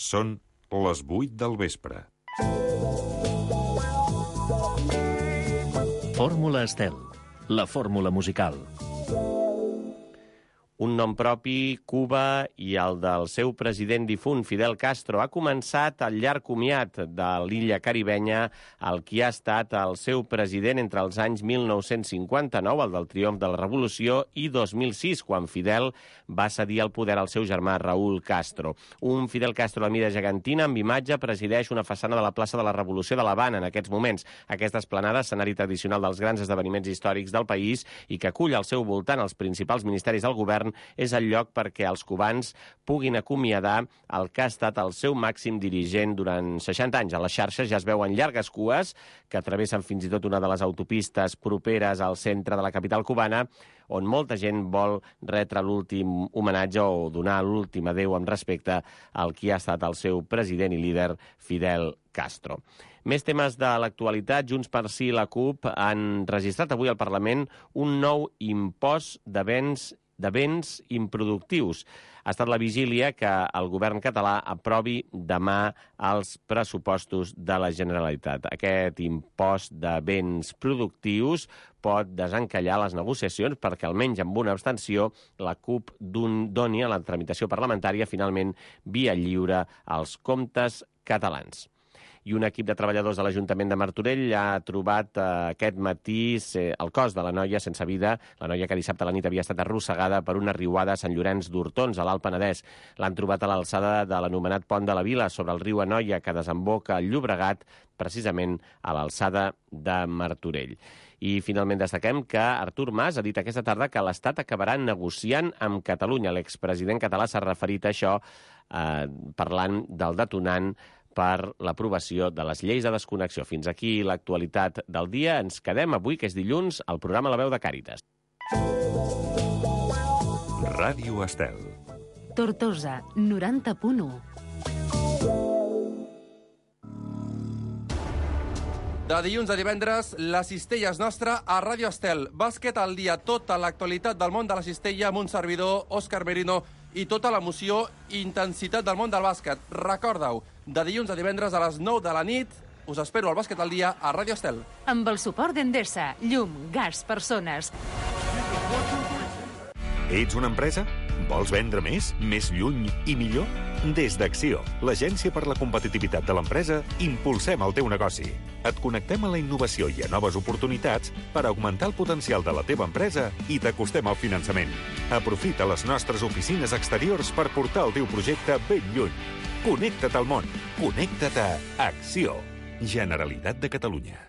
Són les 8 del vespre. Fórmula Estel, la fórmula musical. Un nom propi, Cuba, i el del seu president difunt, Fidel Castro, ha començat el llarg comiat de l'illa caribenya, el qui ha estat el seu president entre els anys 1959, el del triomf de la Revolució, i 2006, quan Fidel va cedir el poder al seu germà Raúl Castro. Un Fidel Castro de mida gegantina, amb imatge, presideix una façana de la plaça de la Revolució de l'Havana en aquests moments. Aquesta esplanada, escenari tradicional dels grans esdeveniments històrics del país i que acull al seu voltant els principals ministeris del govern, és el lloc perquè els cubans puguin acomiadar el que ha estat el seu màxim dirigent durant 60 anys. A les xarxes ja es veuen llargues cues que travessen fins i tot una de les autopistes properes al centre de la capital cubana, on molta gent vol retre l'últim homenatge o donar l'últim adéu amb respecte al qui ha estat el seu president i líder, Fidel Castro. Més temes de l'actualitat. Junts per Sí i la CUP han registrat avui al Parlament un nou impost de béns improductius. Ha estat la vigília que el govern català aprovi demà els pressupostos de la Generalitat. Aquest impost de béns productius pot desencallar les negociacions perquè, almenys amb una abstenció, la CUP doni a la tramitació parlamentària finalment via lliure als comptes catalans. I un equip de treballadors de l'Ajuntament de Martorell ha trobat aquest matí el cos de la noia sense vida, la noia que dissabte a la nit havia estat arrossegada per una riuada a Sant Llorenç d'Hortons, a l'Alt Penedès. L'han trobat a l'alçada de l'anomenat Pont de la Vila, sobre el riu Anoia, que desemboca al Llobregat, precisament a l'alçada de Martorell. I finalment destaquem que Artur Mas ha dit aquesta tarda que l'Estat acabarà negociant amb Catalunya. L'expresident català s'ha referit a això parlant del detonant per l'aprovació de les lleis de desconnexió. Fins aquí l'actualitat del dia. Ens quedem avui, que és dilluns, al programa La Veu de Càritas. Ràdio Estel. Tortosa, 90.1. De dilluns a divendres, la cistella és nostra a Ràdio Estel. Bàsquet al dia, tota l'actualitat del món de la cistella amb un servidor, Òscar Merino, i tota l'emoció i intensitat del món del bàsquet. Recorda-ho, de dilluns a divendres a les 9 de la nit, us espero al Bàsquet al dia a Ràdio Estel. Amb el suport d'Endesa, llum, gas, persones. Ets una empresa? Vols vendre més, més lluny i millor? Des d'Acció, l'agència per la competitivitat de l'empresa, impulsem el teu negoci. Et connectem a la innovació i a noves oportunitats per augmentar el potencial de la teva empresa i t'acostem al finançament. Aprofita les nostres oficines exteriors per portar el teu projecte ben lluny. Connecta't al món. Connecta't a Acció. Generalitat de Catalunya.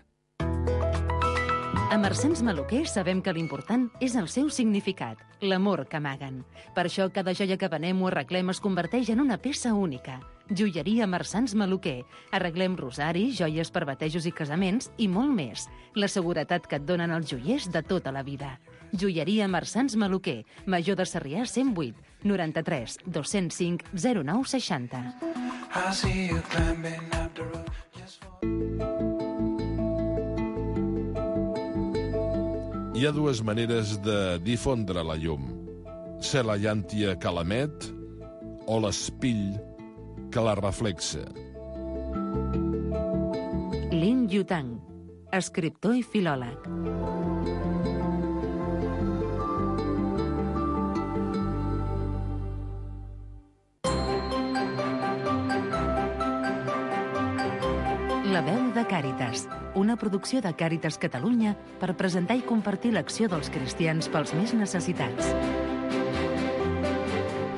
A Mercens Maluquer sabem que l'important és el seu significat, l'amor que amaguen. Per això cada joia que venem o arreglem es converteix en una peça única. Joieria Mercens Maluquer. Arreglem rosaris, joies per batejos i casaments i molt més. La seguretat que et donen els joiers de tota la vida. Joieria Mercens Maluquer. Major de Sarrià 108 93 205 0960. Hi ha dues maneres de difondre la llum. Ser la llàntia que l'emet o l'espill que la reflexa. Lin Yutang, escriptor i filòleg. La veu de Càritas, una producció de Càritas Catalunya per presentar i compartir l'acció dels cristians pels més necessitats.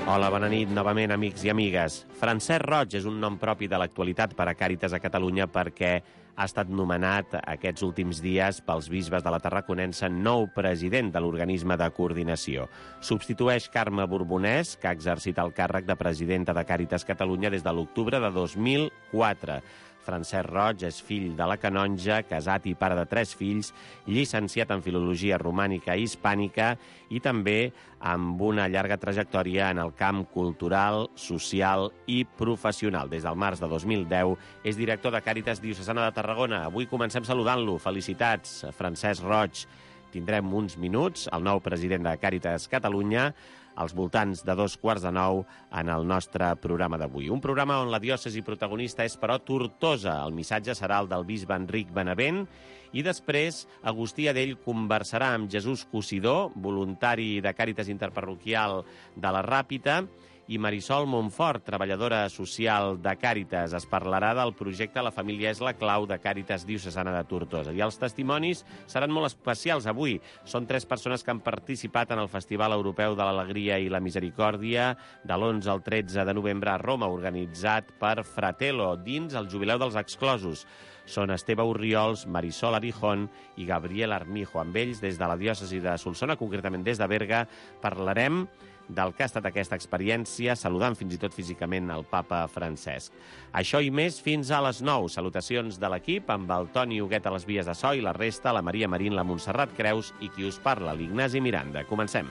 Hola, bona nit, novament, amics i amigues. Francesc Roig és un nom propi de l'actualitat per a Càritas a Catalunya perquè ha estat nomenat aquests últims dies pels bisbes de la Tarraconense nou president de l'organisme de coordinació. Substitueix Carme Borbonès, que ha exercit el càrrec de presidenta de Càritas Catalunya des de l'octubre de 2004. Francesc Roig és fill de la canonja, casat i pare de 3 fills, llicenciat en Filologia Romànica i Hispànica i també amb una llarga trajectòria en el camp cultural, social i professional. Des del març de 2010 és director de Càritas Diocesana de Tarragona. Avui comencem saludant-lo. Felicitats, Francesc Roig. Tindrem uns minuts, el nou president de Càritas Catalunya, als voltants de 8:45 en el nostre programa d'avui. Un programa on la diòcesi protagonista és, però, Tortosa. El missatge serà el del bisbe Enric Benavent i després Agustí Adell conversarà amb Jesús Cosidó, voluntari de Càritas Interparroquial de la Ràpita, i Marisol Montfort, treballadora social de Càritas. Es parlarà del projecte La família és la clau de Càritas Diocesana de Tortosa. I els testimonis seran molt especials avui. Són 3 persones que han participat en el Festival Europeu de l'Alegria i la Misericòrdia de l'11 al 13 de novembre a Roma, organitzat per Fratello, dins el Jubileu dels Exclosos. Són Esteve Orriols, Marisol Arijón i Gabriel Armijo. Amb ells, des de la diòcesi de Solsona, concretament des de Berga, parlarem del que ha estat aquesta experiència, saludant fins i tot físicament el papa Francesc. Això i més fins a les 9. Salutacions de l'equip, amb el Toni Huguet a les vies de so i la resta, la Maria Marín, la Montserrat Creus i qui us parla, l'Ignasi Miranda. Comencem.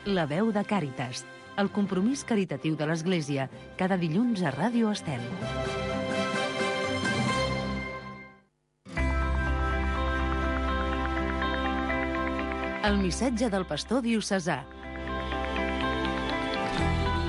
La veu de Càritas, el compromís caritatiu de l'Església, cada dilluns a Ràdio Estel. El missatge del pastor diocesà.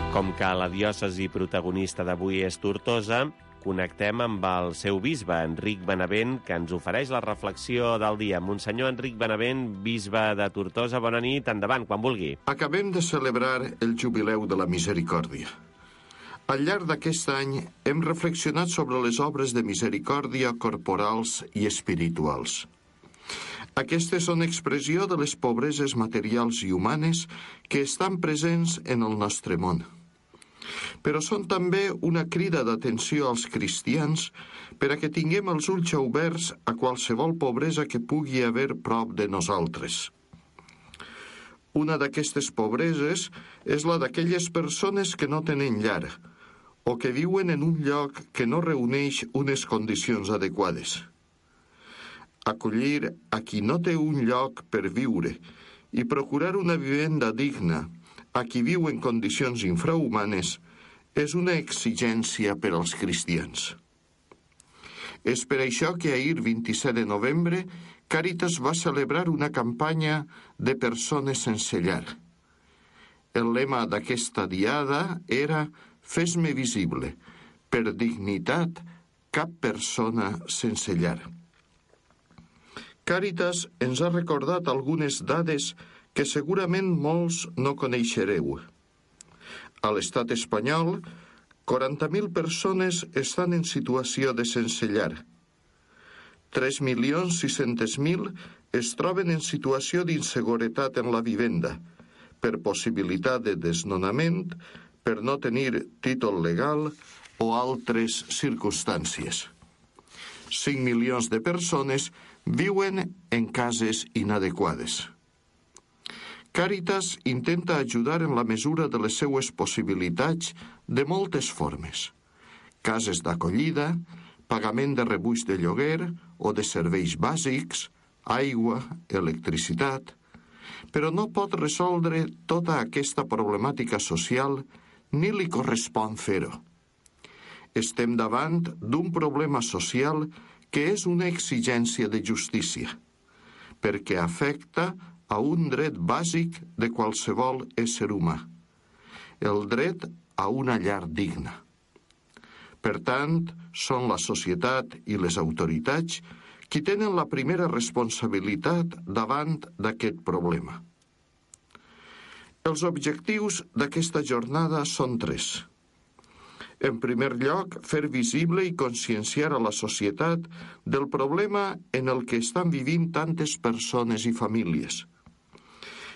Com que la diòcesi protagonista d'avui és Tortosa, connectem amb el seu bisbe, Enric Benavent, que ens ofereix la reflexió del dia. Monsenyor Enric Benavent, bisbe de Tortosa, bona nit, endavant, quan vulgui. Acabem de celebrar el Jubileu de la Misericòrdia. Al llarg d'aquest any hem reflexionat sobre les obres de misericòrdia corporals i espirituals. Aquestes són expressió de les pobreses materials i humanes que estan presents en el nostre món. Però són també una crida d'atenció als cristians per a que tinguem els ulls oberts a qualsevol pobresa que pugui haver prop de nosaltres. Una d'aquestes pobreses és la d'aquelles persones que no tenen llar o que viuen en un lloc que no reuneix unes condicions adequades. Acollir a qui no té un lloc per viure i procurar una vivenda digna a qui viu en condicions infrahumanes és una exigència per als cristians. És per això que ahir, 27 de novembre, Càritas va celebrar una campanya de persones sense llar. El lema d'aquesta diada era «Fes-me visible, per dignitat, cap persona sense llar». Càritas ens ha recordat algunes dades que segurament molts no coneixereu. A l'estat espanyol, 40.000 persones estan en situació de sense llar. 3.600.000 es troben en situació d'inseguretat en la vivenda, per possibilitat de desnonament, per no tenir títol legal o altres circumstàncies. 5 milions de persones viuen en cases inadequades. Càritas intenta ajudar en la mesura de les seues possibilitats de moltes formes. Cases d'acollida, pagament de rebuig de lloguer o de serveis bàsics, aigua, electricitat, però no pot resoldre tota aquesta problemàtica social ni li correspon fer-ho. Estem davant d'un problema social que és una exigència de justícia, perquè afecta a un dret bàsic de qualsevol ésser humà, el dret a una llar digna. Per tant, són la societat i les autoritats qui tenen la primera responsabilitat davant d'aquest problema. Els objectius d'aquesta jornada són 3. En primer lloc, fer visible i conscienciar a la societat del problema en el que estan vivint tantes persones i famílies.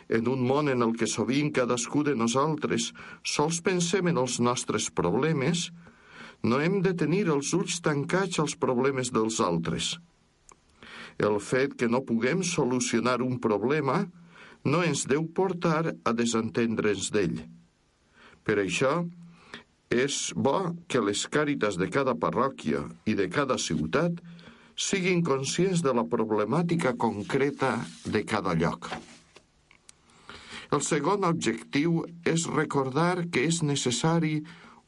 En un món en el que sovint cadascú de nosaltres sols pensem en els nostres problemes, no hem de tenir els ulls tancats als problemes dels altres. El fet que no puguem solucionar un problema no ens deu portar a desentendre'ns d'ell. Per això, és bo que les càritas de cada parròquia i de cada ciutat siguin conscients de la problemàtica concreta de cada lloc. El segon objectiu és recordar que és necessari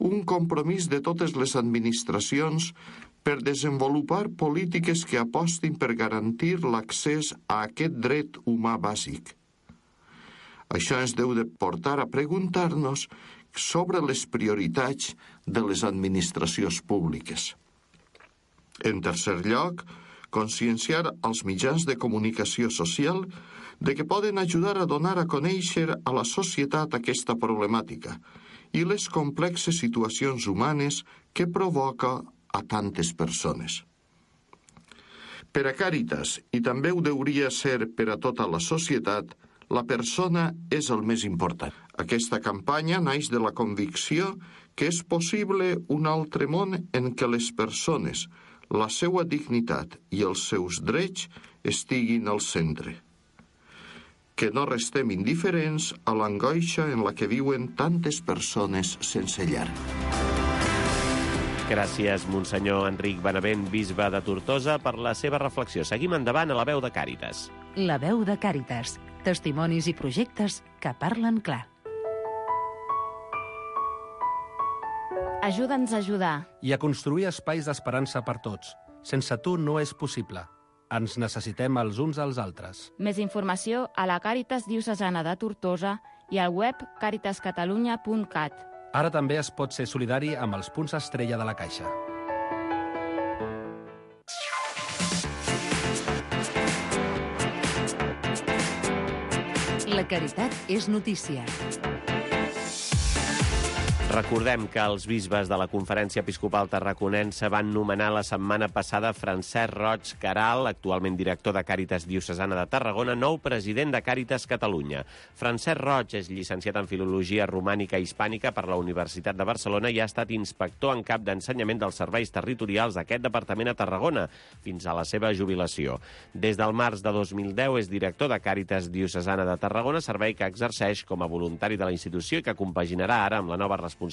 un compromís de totes les administracions per desenvolupar polítiques que apostin per garantir l'accés a aquest dret humà bàsic. Això ens deu de portar a preguntar-nos sobre les prioritats de les administracions públiques. En tercer lloc, conscienciar als mitjans de comunicació social de que poden ajudar a donar a conèixer a la societat aquesta problemàtica i les complexes situacions humanes que provoca a tantes persones. Per a Càritas, i també ho hauria ser per a tota la societat, la persona és el més important. Aquesta campanya naix de la convicció que és possible un altre món en què les persones, la seva dignitat i els seus drets estiguin al centre. Que no restem indiferents a l'angoixa en la que viuen tantes persones sense llar. Gràcies, Monsenyor Enric Benavent, bisbe de Tortosa, per la seva reflexió. Seguim endavant a la veu de Càritas. La veu de Càritas. Testimonis i projectes que parlen clar. Ajuda'ns a ajudar. I a construir espais d'esperança per tots. Sense tu no és possible. Ens necessitem els uns als altres. Més informació a la Càritas Diocesana de Tortosa i al web caritascatalunya.cat. Ara també es pot ser solidari amb els punts estrella de la Caixa. La caritat és notícia. Recordem que els bisbes de la Conferència Episcopal Tarraconense van nomenar la setmana passada Francesc Roig Caral, actualment director de Càritas Diocesana de Tarragona, nou president de Càritas Catalunya. Francesc Roig és llicenciat en Filologia Romànica i Hispànica per la Universitat de Barcelona i ha estat inspector en cap d'ensenyament dels serveis territorials d'aquest departament a Tarragona fins a la seva jubilació. Des del març de 2010 és director de Càritas Diocesana de Tarragona, servei que exerceix com a voluntari de la institució i que compaginarà ara amb la nova responsabilitat.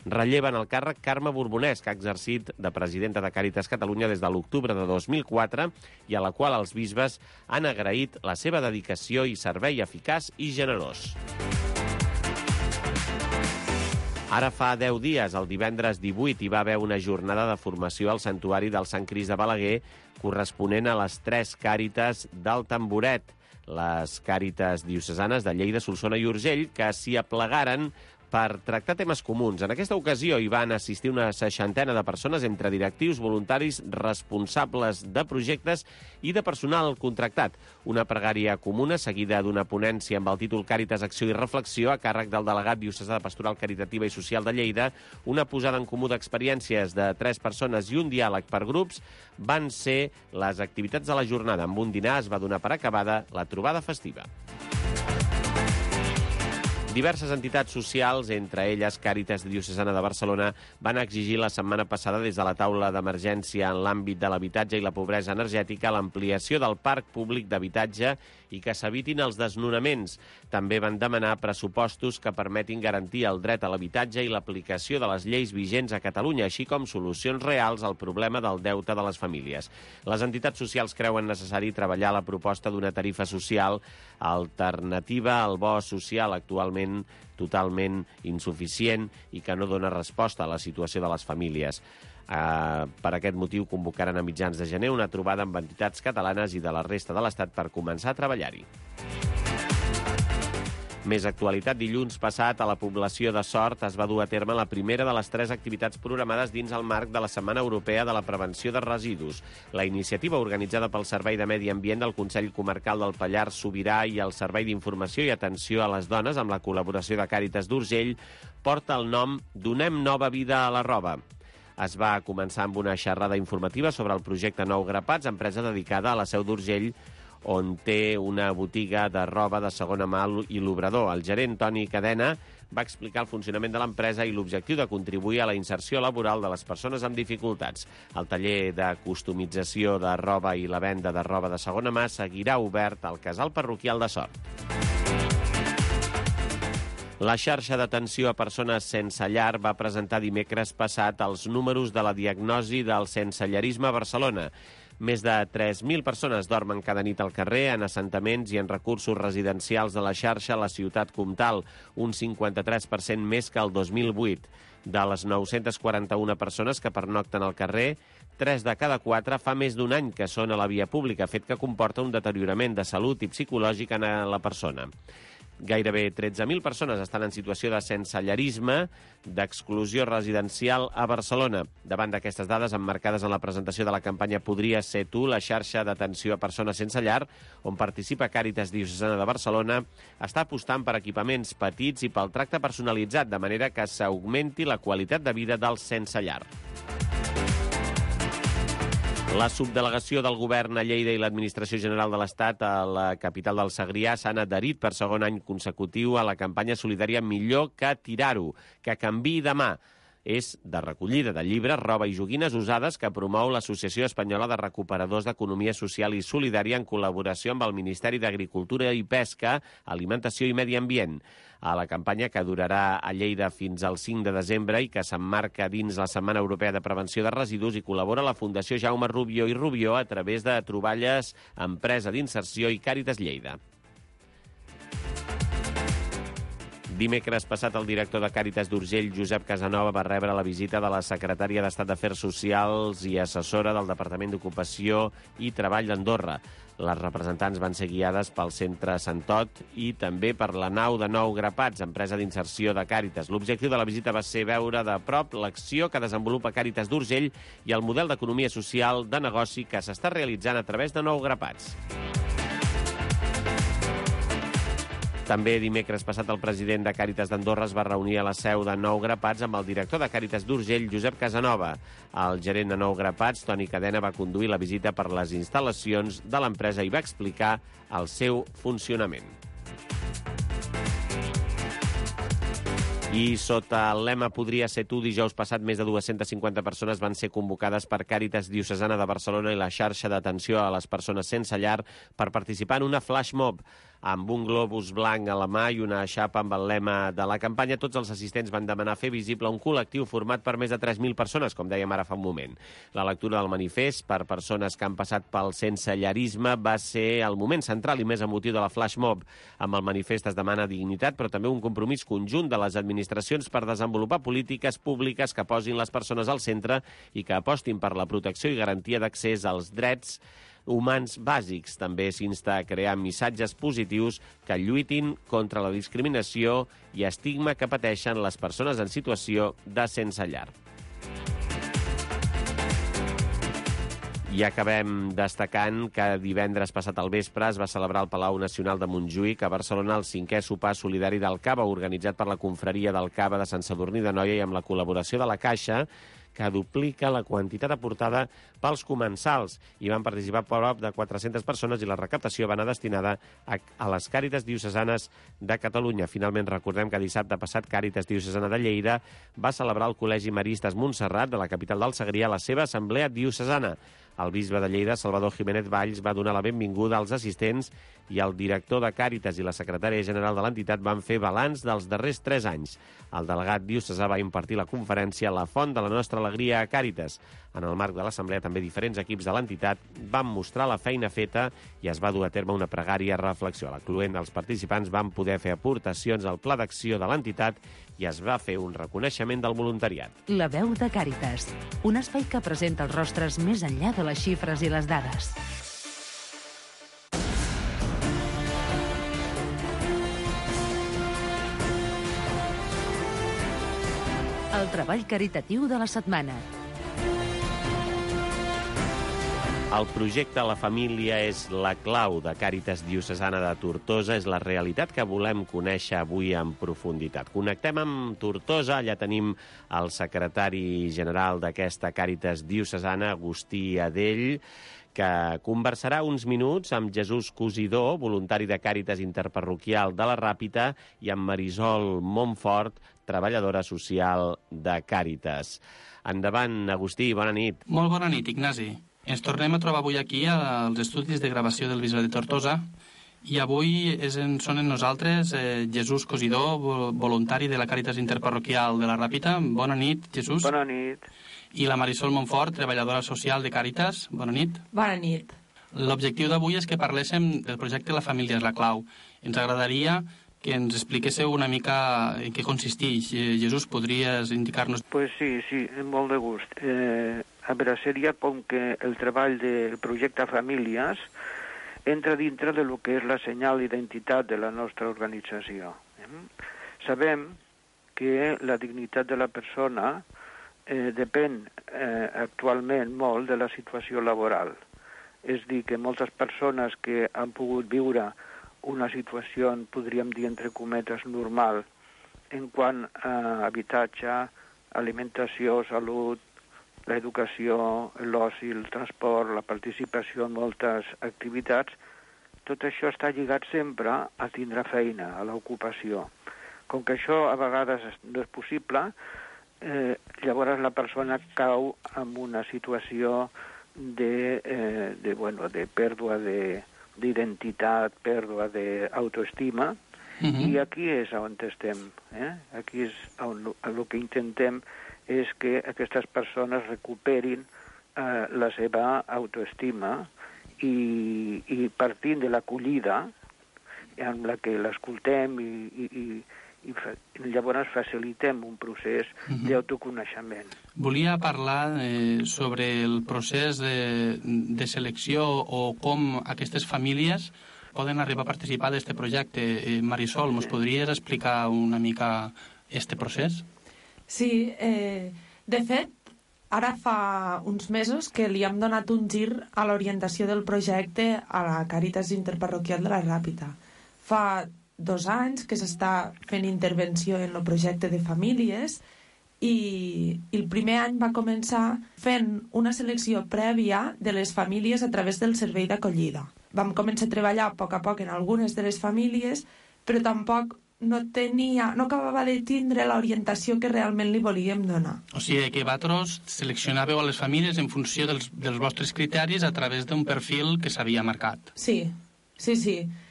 Relleva en el càrrec Carme Borbonès, que ha exercit de presidenta de Càritas Catalunya des de l'octubre de 2004 i a la qual els bisbes han agraït la seva dedicació i servei eficaç i generós. Ara fa 10 dies, el divendres 18, hi va haver una jornada de formació al Santuari del Sant Crist de Balaguer corresponent a les 3 Càritas del Tamboret, les Càritas diocesanes de Lleida, Solsona i Urgell, que s'hi aplegaren per tractar temes comuns. En aquesta ocasió hi van assistir una 60ena de persones entre directius, voluntaris, responsables de projectes i de personal contractat. Una pregària comuna seguida d'una ponència amb el títol Càritas, Acció i Reflexió a càrrec del delegat diocesà de Pastoral Caritativa i Social de Lleida, una posada en comú d'experiències de 3 persones i un diàleg per grups van ser les activitats de la jornada. Amb un dinar es va donar per acabada la trobada festiva. Diverses entitats socials, entre elles Càritas Diocesana de Barcelona, van exigir la setmana passada des de la taula d'emergència en l'àmbit de l'habitatge i la pobresa energètica l'ampliació del parc públic d'habitatge i que s'evitin els desnonaments. També van demanar pressupostos que permetin garantir el dret a l'habitatge i l'aplicació de les lleis vigents a Catalunya, així com solucions reals al problema del deute de les famílies. Les entitats socials creuen necessari treballar la proposta d'una tarifa social alternativa al bo social, actualment totalment insuficient i que no dona resposta a la situació de les famílies. Per aquest motiu convocaran a mitjans de gener una trobada amb entitats catalanes i de la resta de l'Estat per començar a treballar-hi. Més actualitat. Dilluns passat, a la població de Sort es va dur a terme la primera de les 3 activitats programades dins el marc de la Setmana Europea de la Prevenció de Residus. La iniciativa, organitzada pel Servei de Medi Ambient del Consell Comarcal del Pallars Sobirà i el Servei d'Informació i Atenció a les Dones, amb la col·laboració de Càritas d'Urgell, porta el nom Donem nova vida a la roba. Es va començar amb una xerrada informativa sobre el projecte Nou Grapats, empresa dedicada a la Seu d'Urgell, on té una botiga de roba de segona mà i l'obrador. El gerent Toni Cadena va explicar el funcionament de l'empresa i l'objectiu de contribuir a la inserció laboral de les persones amb dificultats. El taller de customització de roba i la venda de roba de segona mà seguirà obert al Casal Parroquial de Sort. La xarxa d'atenció a persones sense llar va presentar dimecres passat els números de la diagnosi del sensellarisme a Barcelona. Més de 3.000 persones dormen cada nit al carrer, en assentaments i en recursos residencials de la xarxa a la ciutat comtal, un 53% més que el 2008. De les 941 persones que pernocten al carrer, 3 de cada 4 fa més d'un any que són a la via pública, fet que comporta un deteriorament de salut i psicològic en la persona. Gairebé 13.000 persones estan en situació de sensellarisme, d'exclusió residencial a Barcelona. Davant d'aquestes dades emmarcades en la presentació de la campanya Podria ser tu, la xarxa d'atenció a persones sense llar, on participa Càritas Diocesana de Barcelona, està apostant per equipaments petits i pel tracte personalitzat, de manera que s'augmenti la qualitat de vida dels sense llar. La subdelegació del govern a Lleida i l'Administració General de l'Estat a la capital del Segrià s'han adherit per segon any consecutiu a la campanya solidària Millor que tirar-ho, que canviï demà. És de recollida de llibres, roba i joguines usades que promou l'Associació Espanyola de Recuperadors d'Economia Social i Solidària en col·laboració amb el Ministeri d'Agricultura i Pesca, Alimentació i Medi Ambient. A la campanya, que durarà a Lleida fins al 5 de desembre i que s'emmarca dins la Setmana Europea de Prevenció de Residus, hi col·labora la Fundació Jaume Rubió i Rubió a través de Troballes, Empresa d'Inserció i Càritas Lleida. Dimecres passat, el director de Càritas d'Urgell, Josep Casanova, va rebre la visita de la secretària d'Estat d'Afers Socials i assessora del Departament d'Ocupació i Treball d'Andorra. Les representants van ser guiades pel Centre Santot i també per la nau de Nou Grapats, empresa d'inserció de Càritas. L'objectiu de la visita va ser veure de prop l'acció que desenvolupa Càritas d'Urgell i el model d'economia social de negoci que s'està realitzant a través de Nou Grapats. També dimecres passat el president de Càritas d'Andorra es va reunir a la seu de Nou Grapats amb el director de Càritas d'Urgell, Josep Casanova. El gerent de Nou Grapats, Toni Cadena, va conduir la visita per les instal·lacions de l'empresa i va explicar el seu funcionament. I sota el lema Podria ser tu, dijous passat, més de 250 persones van ser convocades per Càritas Diocesana de Barcelona i la xarxa d'atenció a les persones sense llar per participar en una flash mob. Amb un globus blanc a la mà i una xapa amb el lema de la campanya, tots els assistents van demanar fer visible un col·lectiu format per més de 3.000 persones, com dèiem ara fa un moment. La lectura del manifest per persones que han passat pel sensellarisme va ser el moment central i més emotiu de la flash mob. Amb el manifest es demana dignitat, però també un compromís conjunt de les administracions per desenvolupar polítiques públiques que posin les persones al centre i que apostin per la protecció i garantia d'accés als drets humans bàsics. També s'insta a crear missatges positius que lluitin contra la discriminació i estigma que pateixen les persones en situació de sense llar. I acabem destacant que divendres passat al vespre es va celebrar al Palau Nacional de Montjuïc a Barcelona el 5è sopar solidari del Cava, organitzat per la confraria del Cava de Sant Sadurní d'Anoia i amb la col·laboració de la Caixa, que duplica la quantitat aportada pels comensals. Hi van participar prop de 400 persones i la recaptació va anar destinada a les Càritas Diocesanes de Catalunya. Finalment, recordem que dissabte passat Càritas Diocesana de Lleida va celebrar al Col·legi Maristes Montserrat de la capital del Segrià la seva assemblea diocesana. El bisbe de Lleida, Salvador Jiménez Valls, va donar la benvinguda als assistents i el director de Càritas i la secretària general de l'entitat van fer balanç dels darrers 3 anys. El delegat diocesà va impartir la conferència La font de la nostra alegria a Càritas. En el marc de l'assemblea, també diferents equips de l'entitat van mostrar la feina feta i es va dur a terme una pregària reflexió. A la cluent dels participants van poder fer aportacions al pla d'acció de l'entitat i es va fer un reconeixement del voluntariat. La veu de Càritas, un espai que presenta els rostres més enllà de les xifres i les dades. El treball caritatiu de la setmana. El projecte La Família és la clau de Càritas Diocesana de Tortosa. És la realitat que volem conèixer avui en profunditat. Connectem amb Tortosa. Allà tenim el secretari general d'aquesta Càritas Diocesana, Agustí Adell, que conversarà uns minuts amb Jesús Cosidor, voluntari de Càritas Interparroquial de la Ràpita, i amb Marisol Montfort, treballadora social de Càritas. Endavant, Agustí, bona nit. Molt bona nit, Ignasi. Ens tornem a trobar avui aquí als estudis de gravació del Bisbe de Tortosa i avui són en nosaltres Jesús Cosidor, voluntari de la Càritas Interparroquial de la Ràpita. Bona nit, Jesús. Bona nit. I la Marisol Montfort, treballadora social de Càritas. Bona nit. Bona nit. L'objectiu d'avui és que parléssim del projecte La Família és la clau. Ens agradaria que ens expliquéssiu una mica en què consisteix. Jesús, podries indicar-nos? Pues sí, amb molt de gust. A veure, seria com que el treball del projecte Famílies entra dintre de lo que és la senyal d'identitat de la nostra organització. Sabem que la dignitat de la persona depèn actualment molt de la situació laboral. És dir, que moltes persones que han pogut viure una situació, podríem dir entre cometes, normal, en quant a habitatge, alimentació, salut, l'educació, l'oci, el transport, la participació en moltes activitats, tot això està lligat sempre a tindre feina, a l'ocupació. Com que això a vegades no és possible, llavors la persona cau en una situació de pèrdua d'identitat, pèrdua d'autoestima, i aquí és on estem. Aquí és on el que intentem és que aquestes persones recuperin la seva autoestima i partint de l'acollida en la que l'escoltem i llavors facilitem un procés d'autoconeixement. Volia parlar sobre el procés de selecció o com aquestes famílies poden arribar a participar d'aquest projecte. Marisol, mos podries explicar una mica aquest procés? Sí, de fet, ara fa uns mesos que li hem donat un gir a l'orientació del projecte a la Càritas Interparroquial de la Ràpita. Fa 2 anys que s'està fent intervenció en el projecte de famílies i el primer any va començar fent una selecció prèvia de les famílies a través del servei d'acollida. Vam començar a treballar a poc en algunes de les famílies, però tampoc no acabava de tindre l'orientació que realment li volíem donar. O sigui que vosaltres seleccionàveu a les famílies en funció dels vostres criteris a través d'un perfil que s'havia marcat. Sí.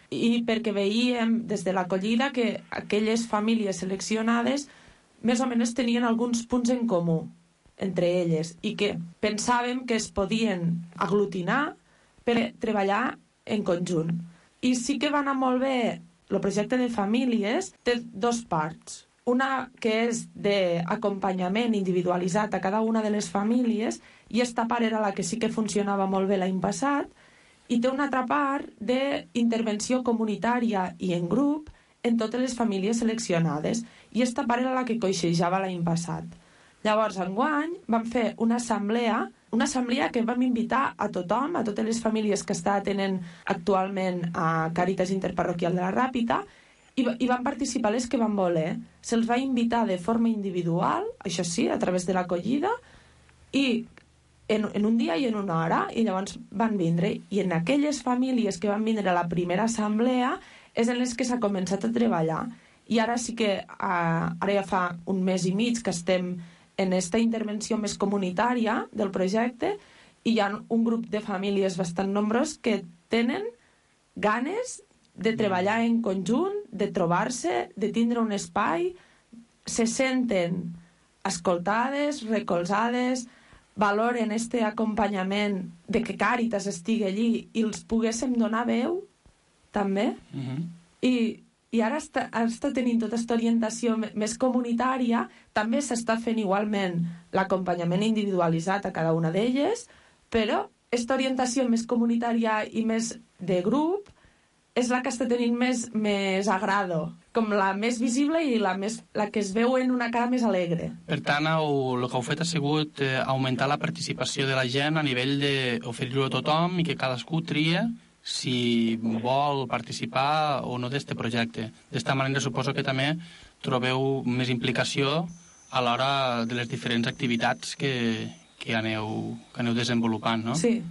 I perquè veiem des de l'acollida que aquelles famílies seleccionades més o menys tenien alguns punts en comú entre elles i que pensàvem que es podien aglutinar per treballar en conjunt. I sí que va anar molt bé. El projecte de famílies té 2 parts. Una que és d'acompanyament individualitzat a cada una de les famílies, i esta part era la que sí que funcionava molt bé l'any passat, i té una altra part d'intervenció comunitària i en grup en totes les famílies seleccionades, i esta part era la que coixejava l'any passat. Llavors, enguany, vam fer una assemblea que vam invitar a tothom, a totes les famílies que està atenent actualment a Càritas Interparroquial de la Ràpita, i van participar les que van voler. Se'ls va invitar de forma individual, això sí, a través de l'acollida, i en un dia i en una hora, i llavors van vindre. I en aquelles famílies que van vindre a la primera assemblea és en les que s'ha començat a treballar. I ara sí que, ara ja fa un mes i mig que estem en aquesta intervenció més comunitària del projecte, i hi ha un grup de famílies bastant nombrós que tenen ganes de treballar en conjunt, de trobar-se, de tindre un espai, se senten escoltades, recolzades, valoren este acompanyament de que Càritas estigui allí i els poguéssim donar veu, també. I ara està tenint tota aquesta orientació més comunitària. També s'està fent igualment l'acompanyament individualitzat a cada una d'elles, però aquesta orientació més comunitària i més de grup és la que està tenint més agrado, com la més visible i la que es veu en una cara més alegre. Per tant, el que heu fet ha sigut augmentar la participació de la gent a nivell d'oferir-ho a tothom i que cadascú tria si vol participar o no d'aquest projecte. D'esta manera suposo que també trobeu més implicació a l'hora de les diferents activitats que aneu desenvolupant, no? Sí.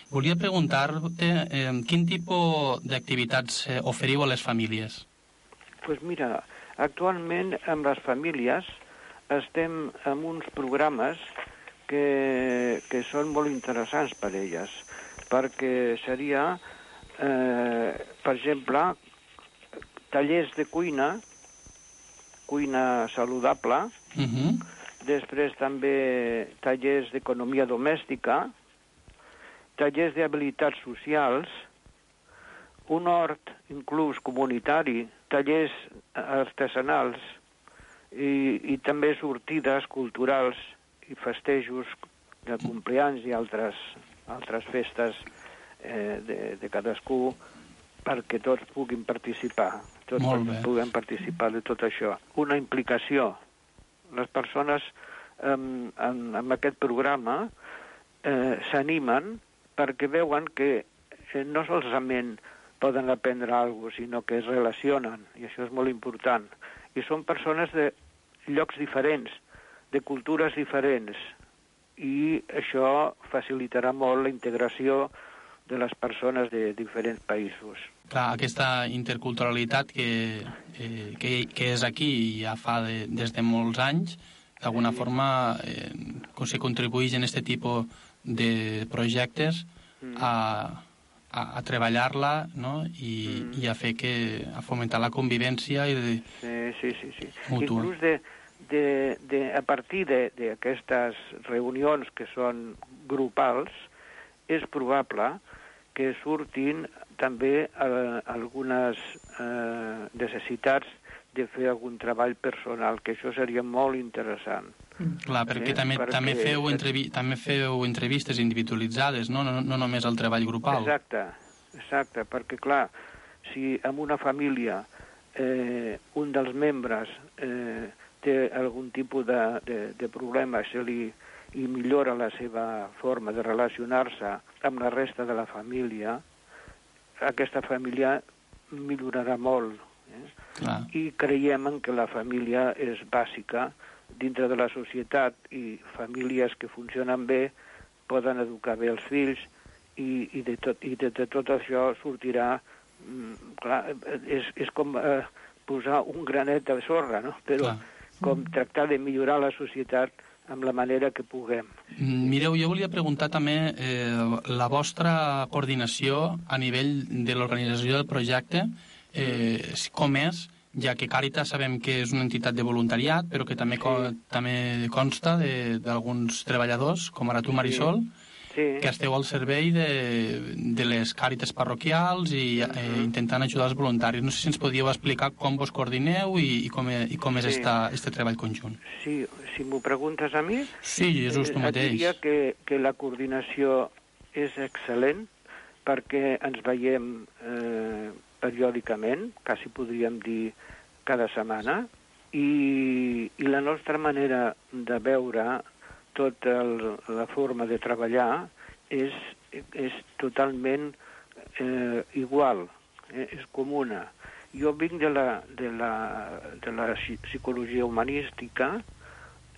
Volia preguntar-te quin tipus d'activitats oferiu a les famílies? Pues mira, actualment amb les famílies estem en uns programes que són molt interessants per elles, perquè seria, per exemple, tallers de cuina saludable, després també tallers d'economia domèstica, tallers d'habilitats socials, un hort inclús comunitari, tallers artesanals i també sortides culturals i festejos de compleanys i altres festes de cadascú, perquè tots puguin participar. Tots puguem participar de tot això. Una implicació. Les persones amb aquest programa s'animen perquè veuen que no solament poden aprendre alguna cosa, sinó que es relacionen, i això és molt important. I són persones de llocs diferents, de cultures diferents, i això facilitarà molt la integració de les persones de diferents països. Clar, aquesta interculturalitat que és aquí i ja fa des de molts anys, d'alguna forma se contribueix en aquest tipus de projectes a treballar-la, no? I a fer a fomentar la convivència i mútua. Inclús a partir d'aquestes reunions que són grupals, és probable que surtin també algunes necessitats de fer algun treball personal, que això seria molt interessant. Clar, perquè també feu entrevistes individualitzades, no només el treball grupal. Exacte, perquè clar, si en una família un dels membres té algun tipus de problema i millora la seva forma de relacionar-se amb la resta de la família, aquesta família millorarà molt. I creiem que la família és bàsica dintre de la societat, i famílies que funcionen bé poden educar bé els fills, i de tot això sortirà, clar, és com posar un granet de sorra, no? Però com tractar de millorar la societat amb la manera que puguem. Mireu, jo volia preguntar també la vostra coordinació a nivell de l'organització del projecte, com és, ja que Càritas sabem que és una entitat de voluntariat, però que també consta d'alguns treballadors, com ara tu, Marisol, que esteu al servei de les Càritas parroquials i intentant ajudar els voluntaris. No sé si ens podíeu explicar com vos coordineu i com és este treball conjunt. Sí, si m'ho preguntes a mi... Sí, Jesús, tu mateix. Diria que la coordinació és excel·lent, perquè ens veiem periòdicament, quasi podríem dir cada setmana, i la nostra manera de veure tota la forma de treballar és totalment igual, és comuna. Jo vinc de la psicologia humanística,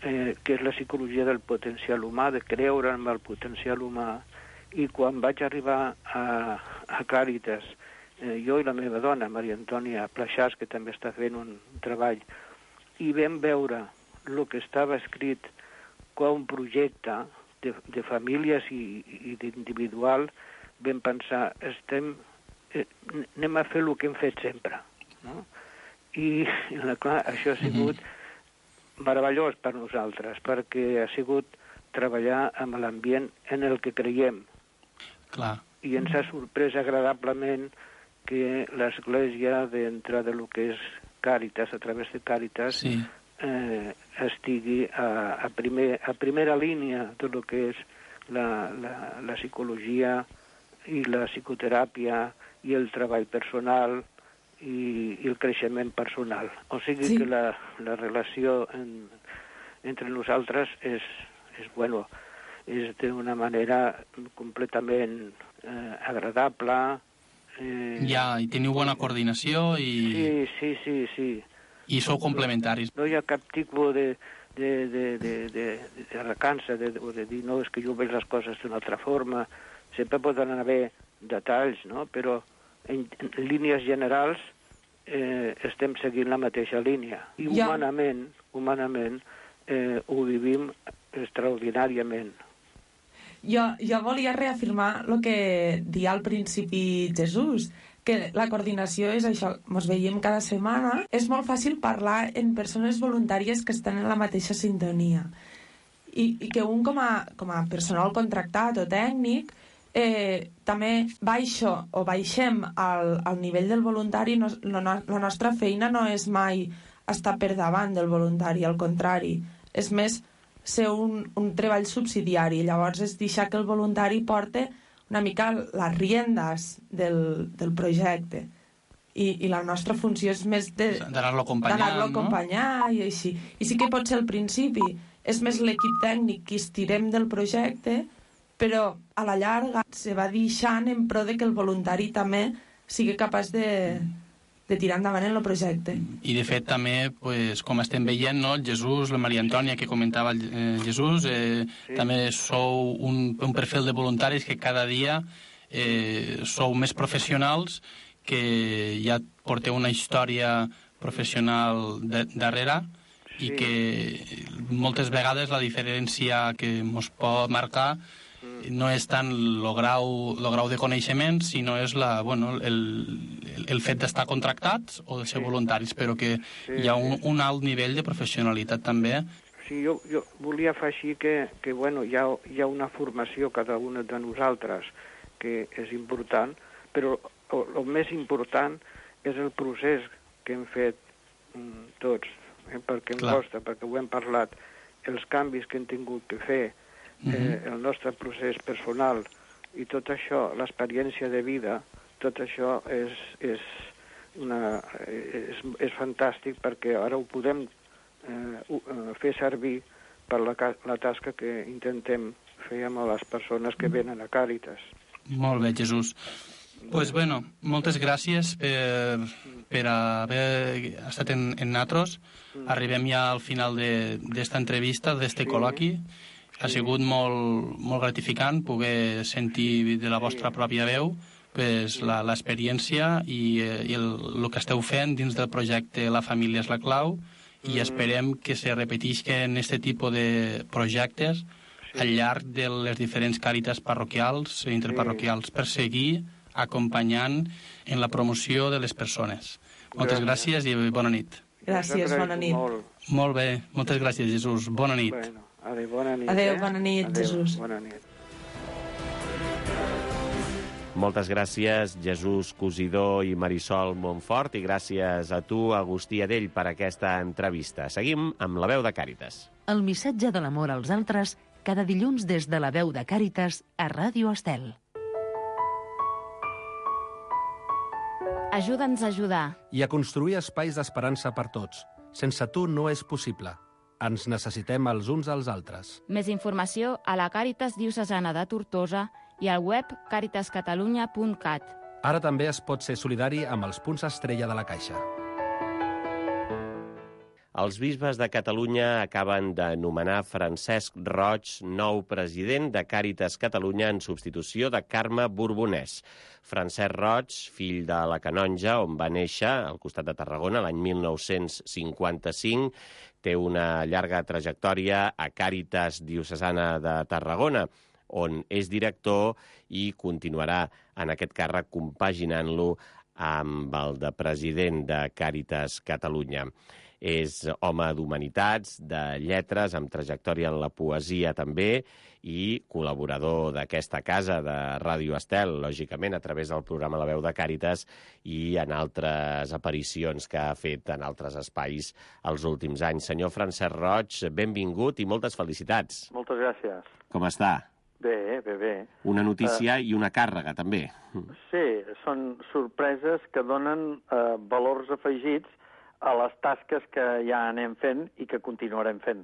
que és la psicologia del potencial humà, de creure en el potencial humà, i quan vaig arribar a Càritas, jo i la meva dona, Maria Antònia Plaixàs, que també està fent un treball, i vam veure el que estava escrit com un projecte de famílies i d'individual, vam pensar, anem a fer el que hem fet sempre. No? I clar, això ha sigut meravellós per nosaltres, perquè ha sigut treballar amb l'ambient en el que creiem. Clar. I ens ha sorprès agradablement que l'Església, dintre del que és Càritas, a través de Càritas, estigui a primera línia de lo que és la psicologia i la psicoteràpia i el treball personal i el creixement personal. O sigui que la relació entre nosaltres és d'una manera completament agradable. I teniu bona coordinació i... Sí. I sou complementaris. No hi ha cap tipus de recança, de dir, no, és que jo veig les coses d'una altra forma. Sempre poden haver detalls, no? Però en línies generals estem seguint la mateixa línia. I humanament ho vivim extraordinàriament. Jo volia reafirmar el que deia al principi Jesús, que la coordinació és això, ens veiem cada setmana. És molt fàcil parlar en persones voluntàries que estan en la mateixa sintonia. I que un com a personal contractat o tècnic també baixem al nivell del voluntari. La nostra feina no és mai estar per davant del voluntari, al contrari. És més ser un treball subsidiari. Llavors és deixar que el voluntari porte una mica les riendes del projecte. I la nostra funció és més d'anar-lo acompanyant i així. I sí que pot ser al principi és més l'equip tècnic qui estirem del projecte, però a la llarga se va deixant en pro de que el voluntari també sigui capaç de tirar endavant en el projecte. I de fet també, com estem veient, el Jesús, la Maria Antònia que comentava Jesús, també sou un perfil de voluntaris que cada dia sou més professionals, que ja porteu una història professional darrere i que moltes vegades la diferència que ens pot marcar no és tant el grau de coneixement, sinó és el fet d'estar contractats o de ser voluntaris, però que hi ha un alt nivell de professionalitat també. Sí, jo volia afegir que hi ha una formació cada una de nosaltres que és important, però el més important és el procés que hem fet tots, perquè em costa, perquè ho hem parlat, els canvis que hem tingut que fer, el nostre procés personal i tot això, l'experiència de vida, tot això és fantàstic perquè ara ho podem fer servir per la tasca que intentem fer amb les persones que venen a Càritas. Molt bé, Jesús. Pues bueno, moltes gràcies per haver estat en nosaltres. Arribem ja al final d'esta entrevista, d'este col·loqui. Ha sigut molt gratificant poder sentir de la vostra pròpia veu l'experiència i el que esteu fent dins del projecte La Família és la Clau, i esperem que se repetisquen aquest tipus de projectes al llarg de les diferents càritas parroquials i interparroquials per seguir acompanyant en la promoció de les persones. Moltes gràcies i bona nit. Gràcies, bona nit. Molt bé, moltes gràcies, Jesús. Bona nit. Adéu, bona nit. Adéu, bona nit, Jesús. Bona nit. Moltes gràcies, Jesús Cosidó i Marisol Montfort, i gràcies a tu, Agustí Adell, per aquesta entrevista. Seguim amb La Veu de Càritas. El missatge de l'amor als altres cada dilluns des de La Veu de Càritas a Ràdio Estel. Ajuda'ns a ajudar. I a construir espais d'esperança per tots. Sense tu no és possible. Ens necessitem els uns als altres. Més informació a la Càritas Diocesana de Tortosa i al web caritascatalunya.cat. Ara també es pot ser solidari amb els punts estrella de la Caixa. Els bisbes de Catalunya acaben de nomenar Francesc Roig nou president de Càritas Catalunya en substitució de Carme Borbonès. Francesc Roig, fill de la Canonja, on va néixer, al costat de Tarragona, l'any 1955, té una llarga trajectòria a Càritas Diocesana de Tarragona, on és director i continuarà en aquest càrrec compaginant-lo amb el de president de Càritas Catalunya. És home d'humanitats, de lletres, amb trajectòria en la poesia també, i col·laborador d'aquesta casa, de Ràdio Estel, lògicament, a través del programa La Veu de Càritas i en altres aparicions que ha fet en altres espais els últims anys. Senyor Francesc Roig, benvingut i moltes felicitats. Moltes gràcies. Com està? Bé. Una notícia i una càrrega, també. Sí, són sorpreses que donen valors afegits a les tasques que ja anem fent i que continuarem fent.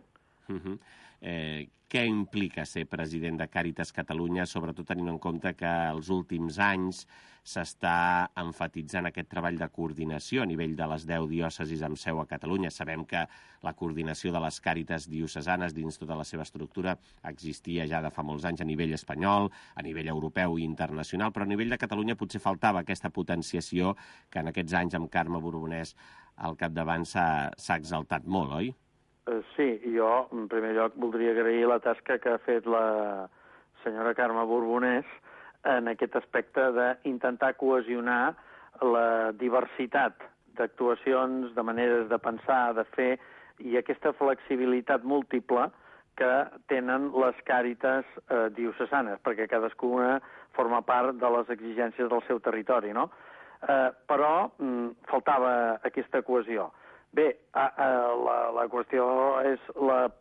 Què implica ser president de Càritas Catalunya, sobretot tenint en compte que els últims anys s'està emfatitzant aquest treball de coordinació a nivell de les 10 diòcesis amb seu a Catalunya? Sabem que la coordinació de les Càritas diocesanes dins tota la seva estructura existia ja de fa molts anys a nivell espanyol, a nivell europeu i internacional, però a nivell de Catalunya potser faltava aquesta potenciació que en aquests anys amb Carme Borbonès al capdavant s'ha exaltat molt, oi? Sí, jo, en primer lloc, voldria agrair la tasca que ha fet la senyora Carme Borbonès en aquest aspecte d'intentar cohesionar la diversitat d'actuacions, de maneres de pensar, de fer, i aquesta flexibilitat múltiple que tenen les càritas diocesanes, perquè cadascuna forma part de les exigències del seu territori, no? Però faltava aquesta cohesió. Bé, la qüestió és la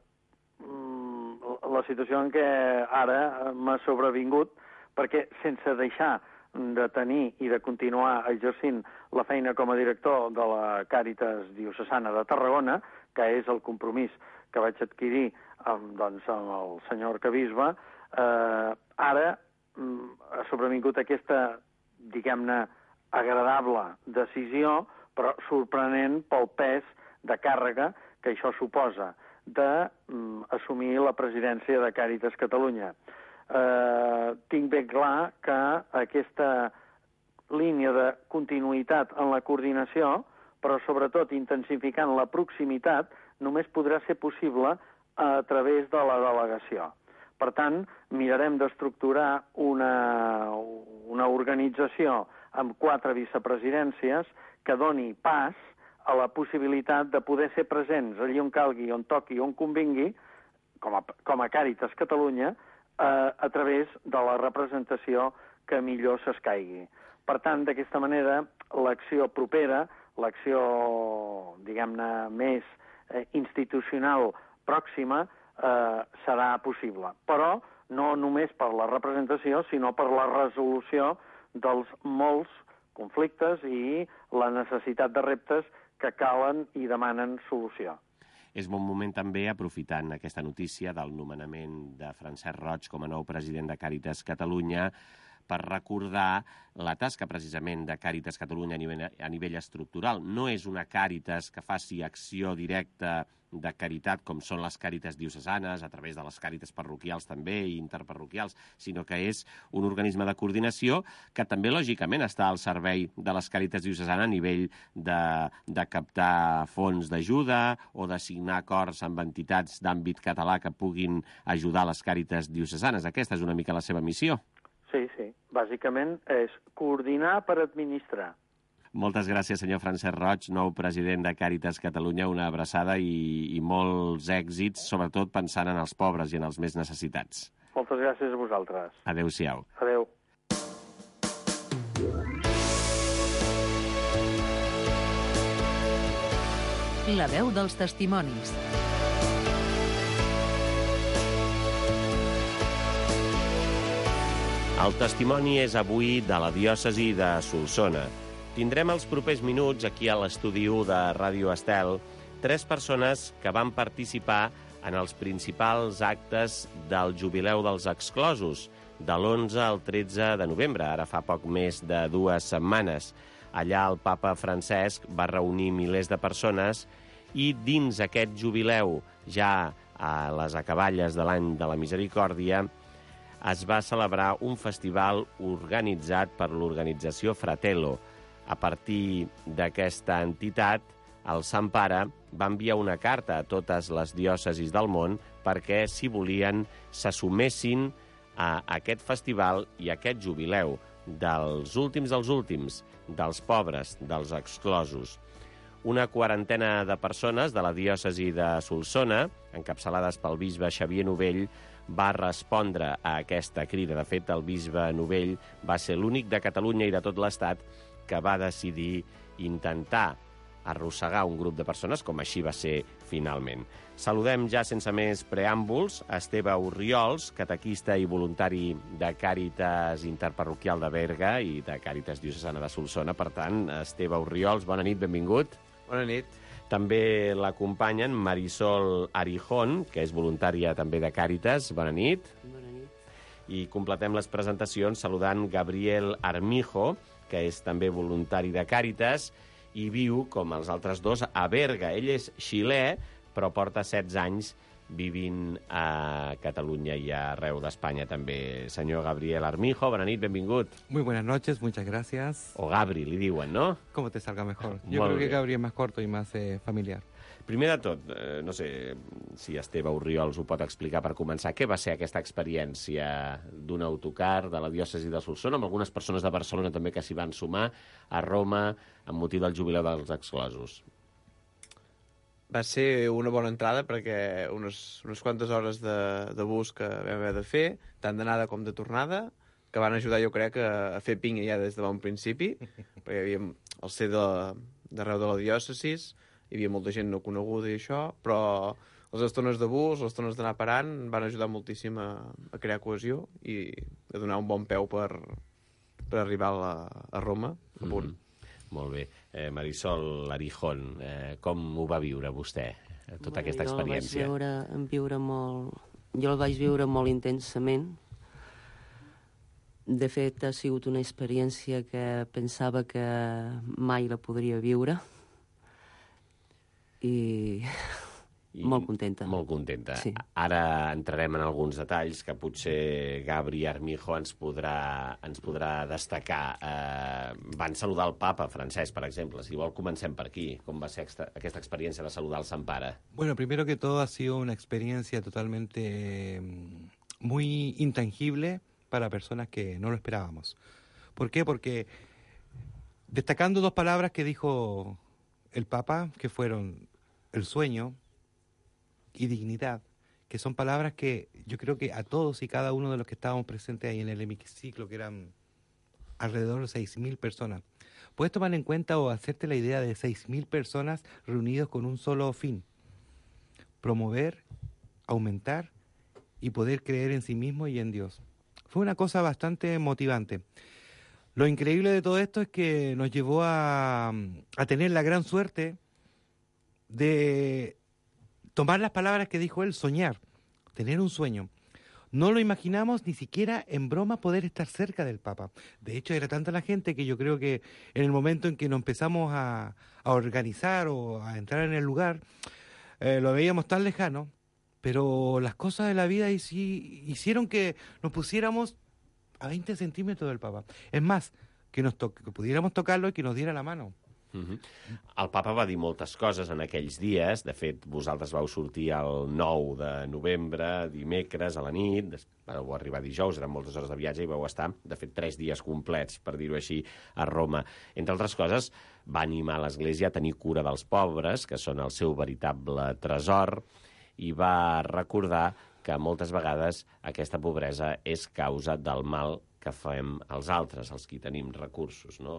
situació en què ara m'ha sobrevingut perquè sense deixar de tenir i de continuar exercint la feina com a director de la Càritas Diocesana de Tarragona, que és el compromís que vaig adquirir amb el senyor arquebisbe, ara ha sobrevingut aquesta, diguem-ne, agradable decisió, però sorprenent pel pes de càrrega que això suposa d'assumir la presidència de Càritas Catalunya. Tinc ben clar que aquesta línia de continuïtat en la coordinació, però sobretot intensificant la proximitat, només podrà ser possible a través de la delegació. Per tant, mirarem d'estructurar una organització amb 4 vicepresidències que doni pas a la possibilitat de poder ser presents allí on calgui, on toqui, on convingui, com a Càritas Catalunya, a través de la representació que millor s'escaigui. Per tant, d'aquesta manera, l'acció propera, l'acció, diguem-ne, més institucional pròxima, serà possible. Però no només per la representació, sinó per la resolució dels molts conflictes i la necessitat de reptes que calen i demanen solució. És bon moment també, aprofitant aquesta notícia del nomenament de Francesc Roig com a nou president de Càritas Catalunya, per recordar la tasca precisament de Càritas Catalunya a nivell estructural. No és una Càritas que faci acció directa de caritat com són les Càritas diocesanes, a través de les Càritas parroquials també i interparroquials, sinó que és un organisme de coordinació que també lògicament està al servei de les Càritas diocesanes a nivell de captar fons d'ajuda o de signar acords amb entitats d'àmbit català que puguin ajudar les Càritas diocesanes. Aquesta és una mica la seva missió. Sí. Bàsicament és coordinar per administrar. Moltes gràcies, senyor Francesc Roig, nou president de Càritas Catalunya. Una abraçada i molts èxits, sobretot pensant en els pobres i en els més necessitats. Moltes gràcies a vosaltres. Adéu-siau. Adéu. La veu dels testimonis. El testimoni és avui de la diòcesi de Solsona. Tindrem els propers minuts aquí a l'estudi 1 de Ràdio Estel 3 persones que van participar en els principals actes del Jubileu dels Exclosos, de l'11 al 13 de novembre, ara fa poc més de 2 setmanes. Allà el papa Francesc va reunir milers de persones i dins aquest jubileu, ja a les acaballes de l'any de la Misericòrdia, es va celebrar un festival organitzat per l'organització Fratello. A partir d'aquesta entitat, el Sant Pare va enviar una carta a totes les diòcesis del món perquè, si volien, se sumessin a aquest festival i a aquest jubileu dels últims, dels pobres, dels exclosos. Una quarantena de persones de la diòcesi de Solsona, encapçalades pel bisbe Xavier Novell, va respondre a aquesta crida. De fet, el bisbe Novell va ser l'únic de Catalunya i de tot l'Estat que va decidir intentar arrossegar un grup de persones, com així va ser finalment. Saludem ja sense més preàmbuls a Esteve Orriols, catequista i voluntari de Càritas Interparroquial de Berga i de Càritas Diocesana de Solsona. Per tant, Esteve Orriols, bona nit, benvingut. Bona nit. També l'acompanyen Marisol Arijón, que és voluntària també de Càritas. Bona nit. Bona nit. I completem les presentacions saludant Gabriel Armijo, que és també voluntari de Càritas i viu, com els altres dos, a Berga. Ell és xilè, però porta 16 anys vivint a Catalunya i arreu d'Espanya també. Senyor Gabriel Armijo, bona nit, benvingut. Muy buenas noches, muchas gracias. O Gabri, li diuen, no? Como te salga mejor. Yo creo que Gabri es más corto y más familiar. Primer de tot, no sé si Esteve Orriols ho pot explicar per començar. Què va ser aquesta experiència d'un autocar de la diòcesi de Solsona, amb algunes persones de Barcelona també que s'hi van sumar, a Roma, amb motiu del Jubileu dels Exclosos? Va ser una bona entrada perquè unes quantes hores de bus que vam haver de fer, tant d'anada com de tornada, que van ajudar, jo crec, a fer pinya ja des de bon principi, perquè hi havia el ser d'arreu de la diòcesis, hi havia molta gent no coneguda i això, però les estones de bus, les estones d'anar parant, van ajudar moltíssim a crear cohesió i que donar un bon peu per arribar a Roma, a punt. Molt bé. Marisol Arijón, com ho va viure vostè, tota aquesta experiència? Jo el vaig viure molt intensament. De fet, ha sigut una experiència que pensava que mai la podria viure. I molt contenta. Molt contenta. Sí. Ara entrarem en alguns detalls que potser Gabri Armijo ens podrà destacar. Van saludar el papa Francesc, per exemple. Si vol, comencem per aquí. Com va ser aquesta experiència de saludar el Sant Pare? Bueno, primero que todo ha sido una experiencia totalmente muy intangible para personas que no lo esperábamos. ¿Por qué? Porque destacando dos palabras que dijo el Papa, que fueron el sueño y dignidad, que son palabras que yo creo que a todos y cada uno de los que estábamos presentes ahí en el hemiciclo, que eran alrededor de 6.000 personas, puedes tomar en cuenta o hacerte la idea de 6.000 personas reunidos con un solo fin: promover, aumentar y poder creer en sí mismo y en Dios. Fue una cosa bastante motivante. Lo increíble de todo esto es que nos llevó a tener la gran suerte de tomar las palabras que dijo él, soñar, tener un sueño. No lo imaginamos ni siquiera en broma poder estar cerca del Papa. De hecho, era tanta la gente que yo creo que en el momento en que nos empezamos a organizar o a entrar en el lugar, lo veíamos tan lejano, pero las cosas de la vida hicieron que nos pusiéramos a 20 centímetros del Papa. Es más, que pudiéramos tocarlo i que nos diera la mano. El papa va dir moltes coses en aquells dies. De fet, vosaltres vau sortir el 9 de novembre, dimecres, a la nit, vau arribar dijous, eren moltes hores de viatge i vau estar, de fet, 3 dies complets, per dir-ho així, a Roma. Entre altres coses, va animar l'Església a tenir cura dels pobres, que són el seu veritable tresor, i va recordar que moltes vegades aquesta pobresa és causa del mal que fem els altres, els que tenim recursos, no?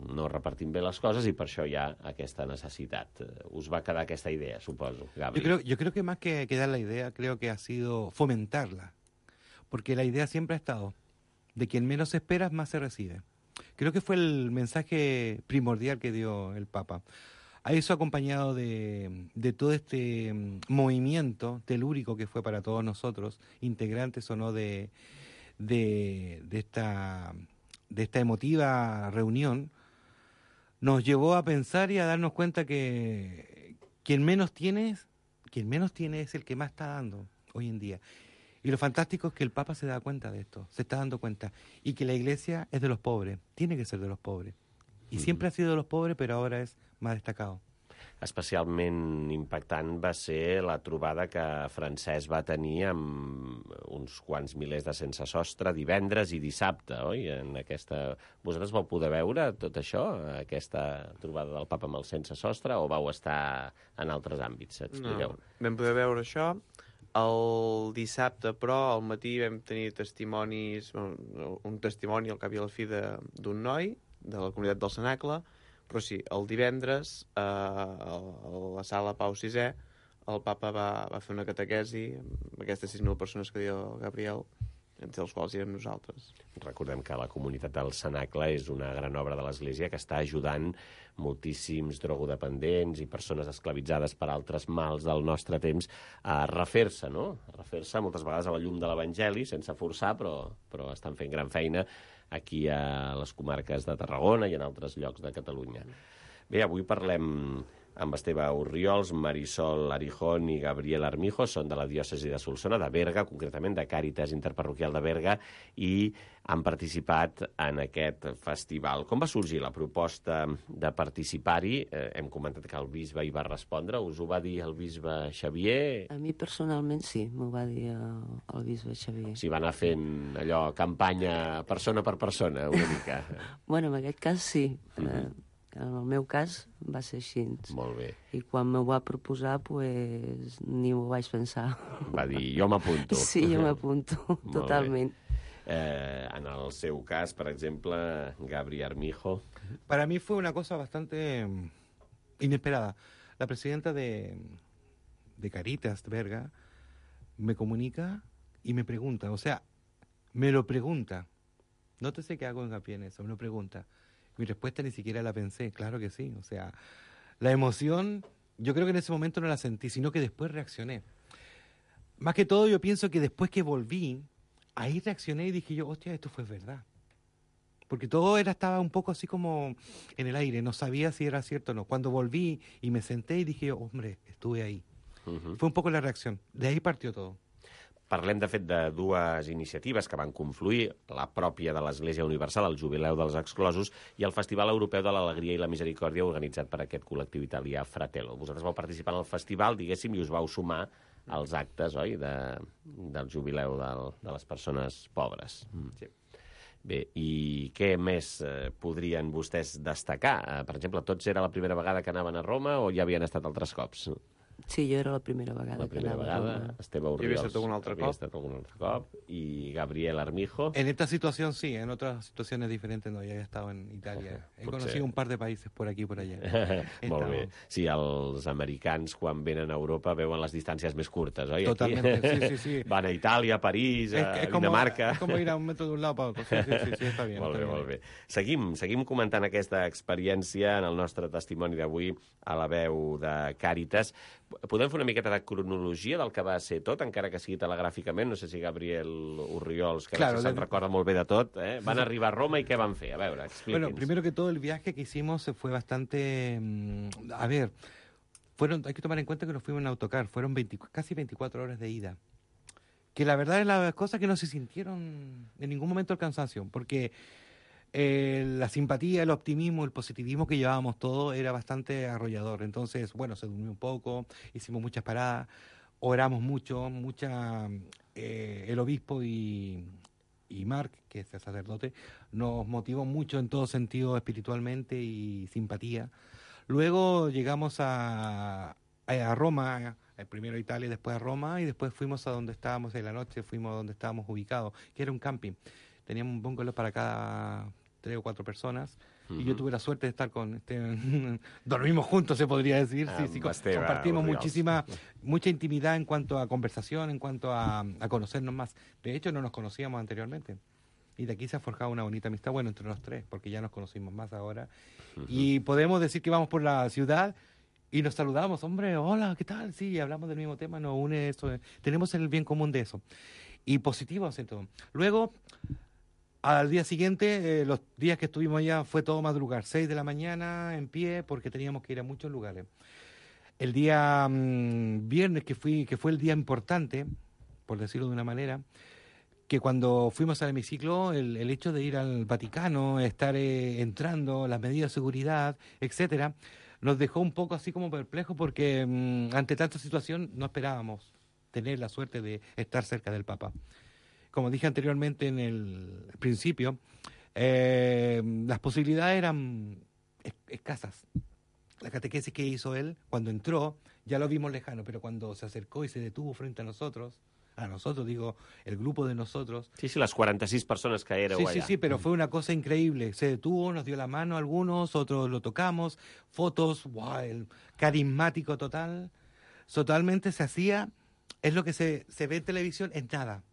No repartim bé les coses i per això hi ha aquesta necessitat. Us va quedar aquesta idea, suposo, Gabri. Yo creo que más que dar la idea, creo que ha sido fomentarla, porque la idea siempre ha estado de quien menos esperas, más se recibe. Creo que fue el mensaje primordial que dio el Papa. A eso acompañado de todo este movimiento telúrico que fue para todos nosotros, integrantes o no de esta emotiva reunión, nos llevó a pensar y a darnos cuenta que quien menos tiene es el que más está dando hoy en día. Y lo fantástico es que el Papa se da cuenta de esto, se está dando cuenta, y que la Iglesia es de los pobres, tiene que ser de los pobres. I sempre ha sido de los pobres, però ara és més destacado. Especialment impactant va ser la trobada que Francesc va tenir amb uns quants milers de sense sostre divendres i dissabte, oi? Vosaltres vau poder veure tot això, aquesta trobada del Papa amb el sense sostre, o vau estar en altres àmbits? Expliqueu. No, vam poder veure això. El dissabte, però, al matí vam tenir testimonis, un testimoni al cap i a la fi d'un noi de la comunitat del Cenacle, però sí, el divendres a la sala Pau VI el Papa va fer una catequesi amb aquestes 6.000 persones que diu Gabriel, entre els quals érem nosaltres. Recordem que la comunitat del Cenacle és una gran obra de l'Església que està ajudant moltíssims drogodependents i persones esclavitzades per altres mals del nostre temps a refer-se, no? A refer-se moltes vegades a la llum de l'Evangeli, sense forçar, però estan fent gran feina aquí a les comarques de Tarragona i en altres llocs de Catalunya. Bé, avui parlem amb Esteve Orriols, Marisol Arijón i Gabriel Armijo, són de la diòcesi de Solsona, de Berga, concretament de Càritas Interparroquial de Berga, i han participat en aquest festival. Com va sorgir la proposta de participar-hi? Hem comentat que el bisbe hi va respondre. Us ho va dir el bisbe Xavier? A mi personalment sí, m'ho va dir el bisbe Xavier. Si va anar fent allò, campanya persona per persona, una mica. Bueno, en aquest cas sí. En el meu cas va ser així. Molt bé. I quan m'ho va proposar, pues, ni m'ho vaig pensar. Va dir, jo m'apunto. Sí, jo m'apunto, totalment. En el seu cas, per exemple, Gabri Armijo. Para mí fue una cosa bastante inesperada. La presidenta de Caritas de Berga me comunica y me pregunta, o sea, me lo pregunta. Nótese que hago hincapié en eso, me lo pregunta. Mi respuesta ni siquiera la pensé, claro que sí. O sea, la emoción, yo creo que en ese momento no la sentí, sino que después reaccioné. Más que todo, yo pienso que después que volví, ahí reaccioné y dije yo, hostia, esto fue verdad. Porque todo estaba un poco así como en el aire, no sabía si era cierto o no. Cuando volví y me senté y dije yo, hombre, estuve ahí. Fue un poco la reacción. De ahí partió todo. Parlem, de fet, de dues iniciatives que van confluir, la pròpia de l'Església Universal, el Jubileu dels Exclosos, i el Festival Europeu de l'Alegria i la Misericòrdia, organitzat per aquest col·lectiu italià Fratello. Vosaltres vau participar en el festival, diguéssim, i us vau sumar als actes, oi?, del Jubileu de les persones pobres. Sí. Bé, i què més podrien vostès destacar? Per exemple, tots era la primera vegada que anaven a Roma o ja havien estat altres cops? Sí, jo era la primera vegada. La primera vegada, Esteve Orriols havia estat algun altre cop, y Gabriel Armijo. En esta situación sí, en otras situaciones diferentes no, ya he estado en Italia. He conocido un par de países por aquí i por allà. Molt bé. Sí, els americans quan venen a Europa veuen les distàncies més curtes, oi? Totalmente, sí. Van a Itàlia, a París, a Dinamarca. Es como ir a un metro de un lado para otro. Sí, está bien. Molt bé. Seguim comentant aquesta experiència en el nostre testimoni d'avui a la veu de Càritas. Podem fer una miqueta de cronologia del que va ser tot, encara que sigui telegràficament? No sé si Gabriel Orriols, que claro, se'n recorda molt bé de tot, van arribar a Roma i què van fer? A veure, expliqui'ns. Bueno, primero que todo, el viaje que hicimos fue bastante... A ver, hay que tomar en cuenta que nos fuimos en autocar, fueron casi 24 horas de ida. Que la verdad es la cosa que no se sintieron en ningún momento el cansancio, porque... la simpatía, el optimismo, el positivismo que llevábamos todo era bastante arrollador. Entonces, bueno, se durmió un poco, hicimos muchas paradas, oramos mucho, el obispo y Marc, que es el sacerdote, nos motivó mucho en todo sentido espiritualmente y simpatía. Luego llegamos a Roma, primero a Italia, después a Roma, y después fuimos a donde estábamos en la noche, fuimos a donde estábamos ubicados, que era un camping. Teníamos un bungalow para cada 3 o 4 personas, y yo tuve la suerte de estar con dormimos juntos, se podría decir. Sí, compartimos mucha intimidad en cuanto a conversación, en cuanto a conocernos más. De hecho, no nos conocíamos anteriormente. Y de aquí se ha forjado una bonita amistad, bueno, entre los tres, porque ya nos conocimos más ahora. Y podemos decir que vamos por la ciudad y nos saludamos, hombre, hola, ¿qué tal? Sí, hablamos del mismo tema, nos une eso, tenemos el bien común de eso. Y positivo hace todo. Luego... Al día siguiente, los días que estuvimos allá fue todo madrugar, 6 de la mañana en pie, porque teníamos que ir a muchos lugares. El día viernes, que fue el día importante, por decirlo de una manera, que cuando fuimos al hemiciclo, el hecho de ir al Vaticano, estar entrando, las medidas de seguridad, etcétera, nos dejó un poco así como perplejos, porque ante tanta situación no esperábamos tener la suerte de estar cerca del Papa. Como dije anteriormente en el principio, las posibilidades eran escasas. La catequesis que hizo él, cuando entró, ya lo vimos lejano, pero cuando se acercó y se detuvo frente a nosotros, digo, el grupo de nosotros... Sí, las 46 personas que éreu allà. Sí, pero fue una cosa increíble. Se detuvo, nos dio la mano a algunos, otros lo tocamos, fotos, wow, el carismático total. Totalmente se hacía, es lo que se ve en televisión, es nada.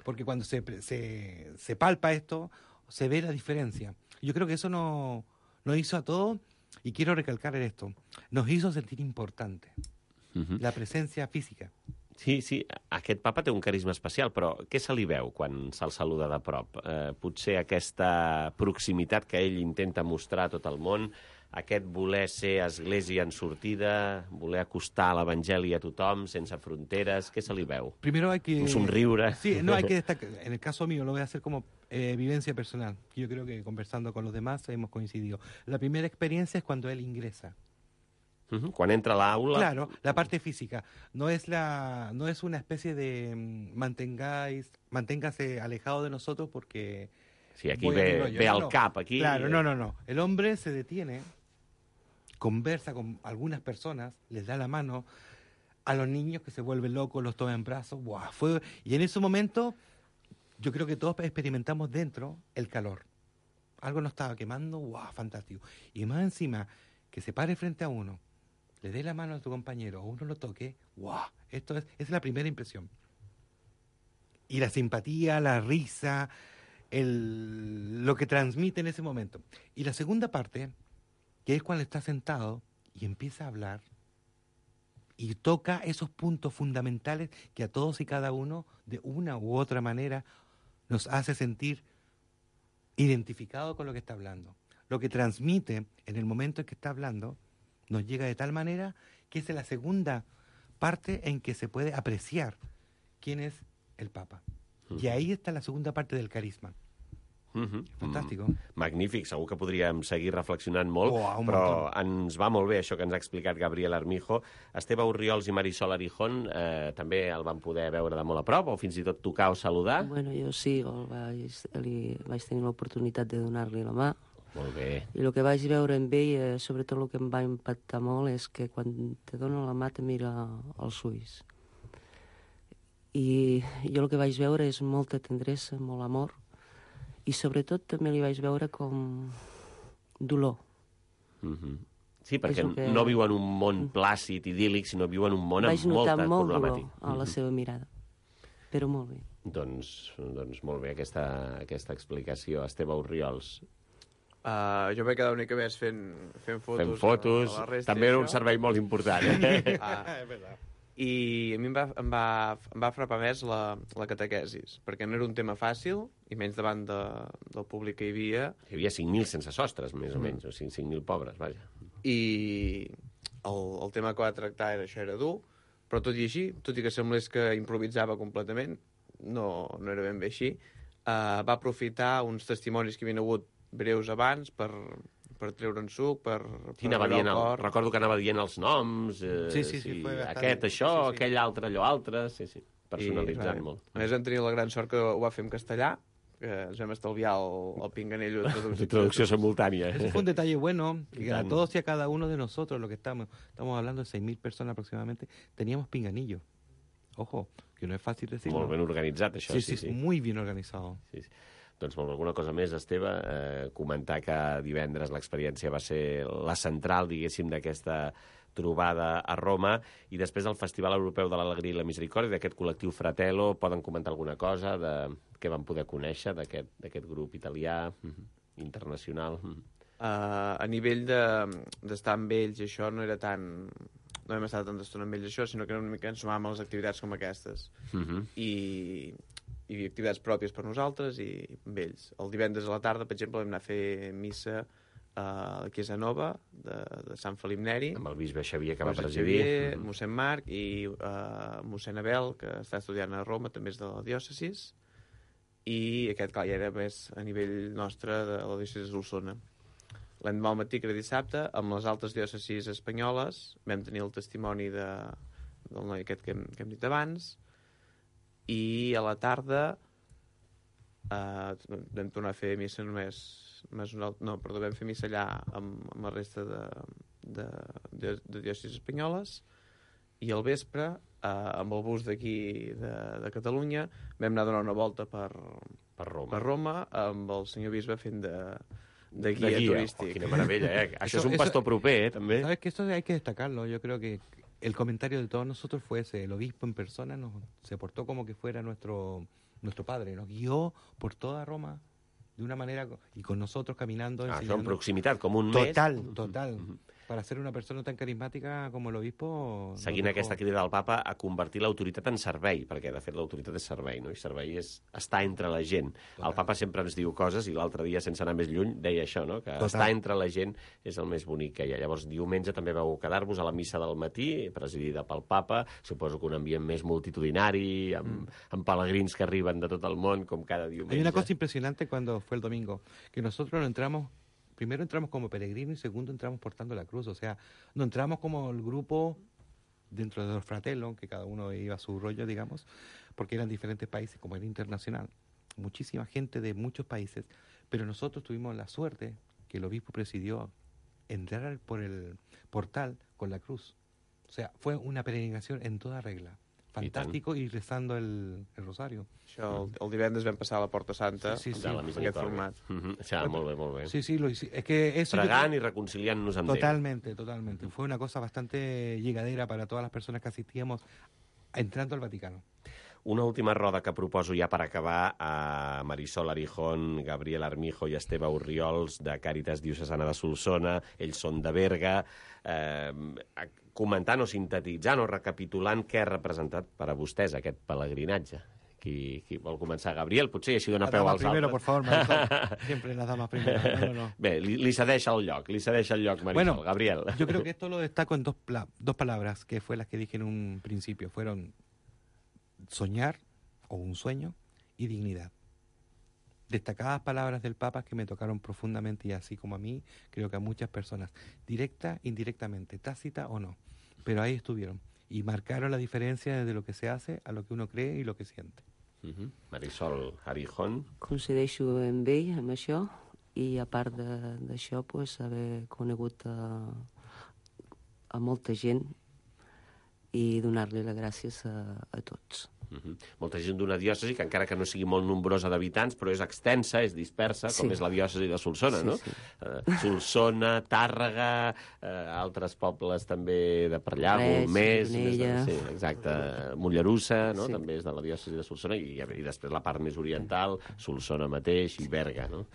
Porque cuando se palpa esto, se ve la diferencia. Yo creo que eso nos hizo a todos, y quiero recalcar esto, nos hizo sentir importante, la presencia física. Sí, aquest papa té un carisma especial, però què se li veu quan se'l saluda de prop? Potser aquesta proximitat que ell intenta mostrar a tot el món, aquest voler ser església en sortida, voler acostar l'Evangeli a tothom, sense fronteres, què se li veu? Primero hay que... Un somriure. Sí, no hay que destacar. En el caso mío lo voy a hacer como vivencia personal. Yo creo que conversando con los demás hemos coincidido. La primera experiencia es cuando él ingresa. Quan entra a l'aula... Claro, la parte física. No es una especie de manténgase alejado de nosotros porque... Sí, aquí ve al cap. Aquí... Claro, no. El hombre se detiene, conversa con algunas personas, les da la mano a los niños que se vuelven locos, los toma en brazos. ¡Wow! Y en ese momento yo creo que todos experimentamos dentro el calor. Algo nos estaba quemando, ¡wow! Fantástico. Y más encima, que se pare frente a uno, le dé la mano a tu compañero o uno lo toque, ¡wow! Esa es la primera impresión. y la simpatía, la risa, lo que transmite en ese momento. Y la segunda parte, que es cuando está sentado y empieza a hablar y toca esos puntos fundamentales que a todos y cada uno, de una u otra manera, nos hace sentir identificados con lo que está hablando. Lo que transmite en el momento en que está hablando nos llega de tal manera que es la segunda parte en que se puede apreciar quién es el Papa. I ahí està la segunda parte del carisma. Fantàstic. Magnífic, segur que podríem seguir reflexionant molt, però ens va molt bé això que ens ha explicat Gabriel Armijo. Esteve Orriols i Marisol Arijón també el van poder veure de molt a prop, o fins i tot tocar o saludar? Bueno, jo sí, vaig tenir l'oportunitat de donar-li la mà. Molt bé. I el que vaig veure amb ell, sobretot el que em va impactar molt, és que quan te dona la mà te mira als ulls. I jo el que vaig veure és molta tendresa, molt amor, i sobretot també li vaig veure com dolor. Sí, perquè no viu en un món plàcid, idíl·lic, sinó viu en un món amb molta problemàtica. Vaig notar molt dolor a la seva mirada, però molt bé. Doncs molt bé aquesta explicació. Esteve Orriols. Jo m'he quedat una mica més fent fotos. Fent fotos, també era un servei molt important. És veritat. I a mi em va frapar més la catequesis, perquè no era un tema fàcil, i menys davant del públic que hi havia. Hi havia 5.000 sense sostres, més o menys, o 5.000 pobres, vaja. I el tema que va tractar això era dur, però tot i així, tot i que semblés que improvisava completament, no era ben bé així, va aprofitar uns testimonis que havien hagut breus abans per treure'n suc, per recordo que anava dient els noms, aquest això, aquell altre, allò altre, personalitzant molt. A més, vam tenir la gran sort que ho va fer en castellà, que ens vam estalviar el pinganillo de traducció simultánea. Ese fue un detalle bueno, que a todos y a cada uno de nosotros, lo que estamos hablando de 6.000 personas aproximadamente, teníamos pinganillo. Ojo, que no es fácil decirlo. Molt ben organitzat, això. Sí, muy bien organizado. Sí. Doncs alguna cosa més, Esteve, comentar que divendres l'experiència va ser la central, diguéssim, d'aquesta trobada a Roma, i després del Festival Europeu de l'Alegria i la Misericòrdia, d'aquest col·lectiu Fratello, poden comentar alguna cosa de què van poder conèixer d'aquest grup italià, internacional? A nivell d'estar amb ells, això no era tan... No hem estat tanta estona amb ells, això, sinó que una mica ens sumàvem a les activitats com aquestes. I activitats pròpies per nosaltres i amb ells. El divendres a la tarda, per exemple, vam anar a fer missa a la Chiesa Nova de Sant Felip Neri. Amb el bisbe Xavier, que va presidir. Mossèn Marc i mossèn Abel, que està estudiant a Roma, també és de la diòcesis. I aquest, clar, ja era més a nivell nostre de la diòcesis d'Osona. L'endemà al matí, que era dissabte, amb les altres diòcesis espanyoles, vam tenir el testimoni del noi aquest que hem dit abans, i a la tarda vam tornar a fer missa vam fer missa allà amb la resta de diòcesis espanyoles, i al vespre, amb el bus d'aquí de Catalunya, vam anar a donar una volta per Roma, amb el senyor bisbe fent de guia turístic. Quina meravella, Això és un pastor proper, també. Sabes que esto hay que destacarlo. Yo creo que el comentario de todos nosotros fue ese. El obispo en persona se portó como que fuera nuestro padre. Nos guió por toda Roma de una manera, y con nosotros caminando. Això en proximitat, com un mes. Total. Para ser una persona tan carismática como el obispo... Seguint aquesta crida del papa a convertir l'autoritat en servei, perquè de fet l'autoritat és servei, no? I servei és estar entre la gent. El papa sempre ens diu coses, i l'altre dia, sense anar més lluny, deia això, no? Que estar entre la gent és el més bonic que hi ha. Llavors, diumenge també vau quedar-vos a la missa del matí, presidida pel papa, suposo que un ambient més multitudinari, amb pelegrins que arriben de tot el món, com cada diumenge. Hay una cosa impresionante cuando fue el domingo, que nosotros primero entramos como peregrinos y segundo entramos portando la cruz. O sea, no entramos como el grupo dentro de los fratellos, que cada uno iba a su rollo, digamos, porque eran diferentes países, como era internacional. Muchísima gente de muchos países, pero nosotros tuvimos la suerte que el obispo presidió entrar por el portal con la cruz. O sea, fue una peregrinación en toda regla. Fantàstico, i rezando el rosario. Això, el divendres vam passar a la Porta Santa, amb aquest format. Molt bé. Sí, es que eso Fregant i reconciliant-nos amb Déu. Totalmente. Fue una cosa bastante llegadera para todas las personas que asistíamos entrando al Vaticano. Una última roda que proposo ja per acabar a Marisol Arijón, Gabriel Armijo i Esteve Orriols de Càritas Diocesana de Solsona. Ells són de Berga, comentant o sintetitzant o recapitulant què ha representat per a vostès aquest pelegrinatge. Qui vol començar? Gabriel, potser així dona peu als primero, altres. por favor, Marisol. Siempre la dama primero. No. Bé, li cedeix el lloc, Marisol. Bueno, Gabriel. Yo creo que esto lo destaco en dos palabras, que fue las que dije en un principio. Fueron soñar, o un sueño, y dignidad. Destacadas palabras del Papa que me tocaron profundamente, y así como a mí, creo que a muchas personas, directa, indirectamente, tácita o no, pero ahí estuvieron. Y marcaron la diferència de lo que se hace a lo que uno cree i lo que siente. Marisol Arijón. Coincideixo amb ell, amb això, i a part d'això, pues, haver conegut a molta gent i donar-li les gràcies a tots. Molta gent d'una diòcesi que, encara que no sigui molt nombrosa d'habitants, però és extensa, és dispersa, com és la diòcesi de Solsona, no? Solsona, Tàrrega, altres pobles també de per allà, Golmés, exacte, Mollerussa, no? També és de la diòcesi de Solsona, i després la part més oriental, Solsona mateix i Berga, no?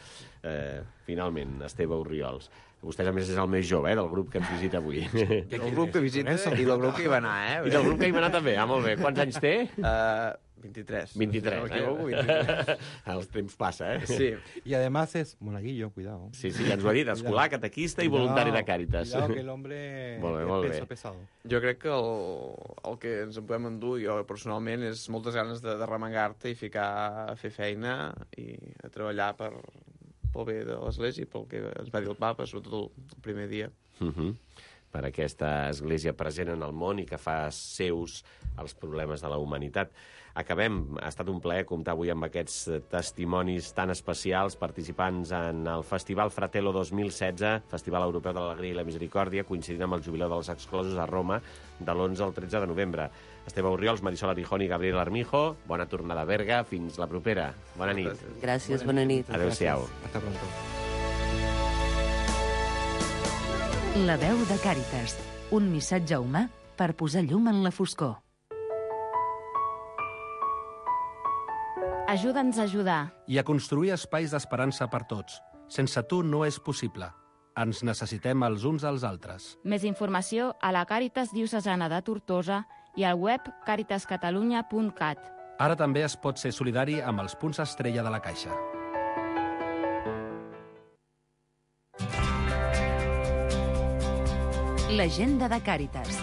Finalment, Esteve Orriols. Vostè, a més, és el més jove, del grup que ens visita avui. El grup que visita i del grup que hi va anar, I del grup que hi va anar també, molt bé. Quants anys té? 23. 23, no 23. El temps passa, Sí. Y además es monaguillo, cuidado. Sí, ja ens ho ha dit, escolar, catequista i voluntari de Càritas. Cuidado que el hombre molt peso bé. pesado. Jo crec que el que ens en podem endur, jo personalment, és moltes ganes de remengar-te i ficar a fer feina i a treballar pel bé de l'Església i pel que ens va dir el Papa, sobretot el primer dia. Per aquesta església present en el món i que fa seus els problemes de la humanitat. Acabem. Ha estat un plaer comptar avui amb aquests testimonis tan especials, participants en el Festival Fratello 2016, Festival Europeu de l'Alegria i la Misericòrdia, coincidint amb el Jubileu dels Exclosos a Roma, de l'11 al 13 de novembre. Esteve Orriols, Marisol Arijón i Gabriel Armijo, bona tornada a Berga, fins la propera. Bona nit. Gràcies, bona nit. Adéu-siau. Hasta pronto. La veu de Càritas, un missatge humà per posar llum en la foscor. Ajuda'ns a ajudar. I a construir espais d'esperança per tots. Sense tu no és possible. Ens necessitem els uns als altres. Més informació a la Càritas Diocesana de Tortosa i al web caritascatalunya.cat. Ara també es pot ser solidari amb els punts estrella de la Caixa. L'agenda de Càritas.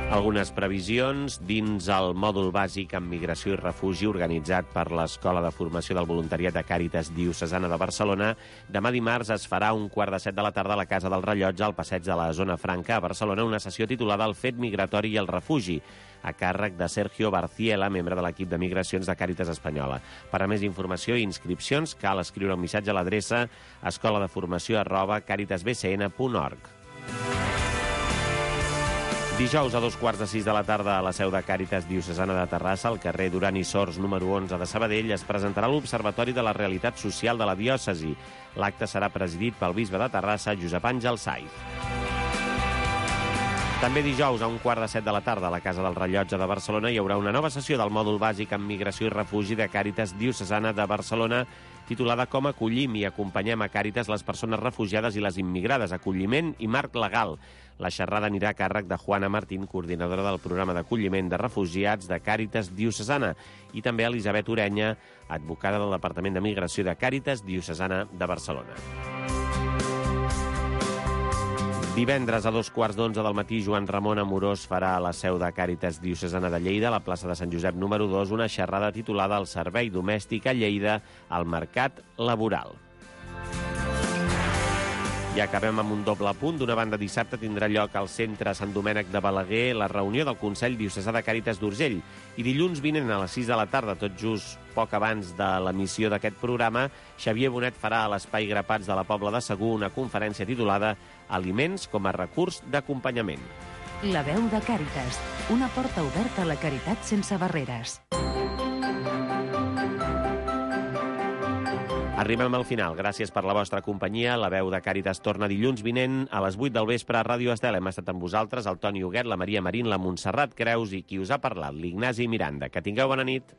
Algunes previsions dins el mòdul bàsic en migració i refugi organitzat per l'Escola de Formació del Voluntariat de Càritas Diocesana de Barcelona. Demà dimarts es farà a 6:45 a la Casa del Rellotge, al passeig de la Zona Franca, a Barcelona, una sessió titulada El fet migratori i el refugi, a càrrec de Sergio Barciela, membre de l'equip de migracions de Càritas Espanyola. Per a més informació i inscripcions cal escriure un missatge a l'adreça escoladeformació@caritasbcn.org. Dijous a 5:15 a la seu de Càritas Diocesana de Terrassa, al carrer Duran i Sors, número 11 de Sabadell, es presentarà l'Observatori de la Realitat Social de la Diòcesi. L'acte serà presidit pel bisbe de Terrassa, Josep Àngel Saiz. També dijous a 6:15 a la Casa del Rellotge de Barcelona hi haurà una nova sessió del mòdul bàsic en migració i refugi de Càritas Diocesana de Barcelona, titulada Com acollim i acompanyem a Càritas les persones refugiades i les immigrades, acolliment i marc legal. La xerrada anirà a càrrec de Juana Martín, coordinadora del programa d'acolliment de refugiats de Càritas Diocesana, i també Elisabet Orenya, advocada del Departament de Migració de Càritas Diocesana de Barcelona. Divendres a 2:15 del matí, Joan Ramon Amorós farà a la seu de Càritas Diocesana de Lleida, a la plaça de Sant Josep número 2, una xerrada titulada El servei domèstic a Lleida al mercat laboral. I acabem amb un doble punt. D'una banda, dissabte tindrà lloc al centre Sant Domènec de Balaguer la reunió del Consell Diocesà de Càritas d'Urgell. I dilluns vinent a les 6 de la tarda, tot just poc abans de l'emissió d'aquest programa, Xavier Bonet farà a l'Espai Grapats de la Pobla de Segur una conferència titulada Aliments com a recurs d'acompanyament. La veu de Càritas, una porta oberta a la caritat sense barreres. Arribem al final. Gràcies per la vostra companyia. La veu de Càritas torna dilluns vinent a les 8 del vespre a Ràdio Estel. Hem estat amb vosaltres, el Toni Huguet, la Maria Marín, la Montserrat Creus i qui us ha parlat, l'Ignasi Miranda. Que tingueu bona nit.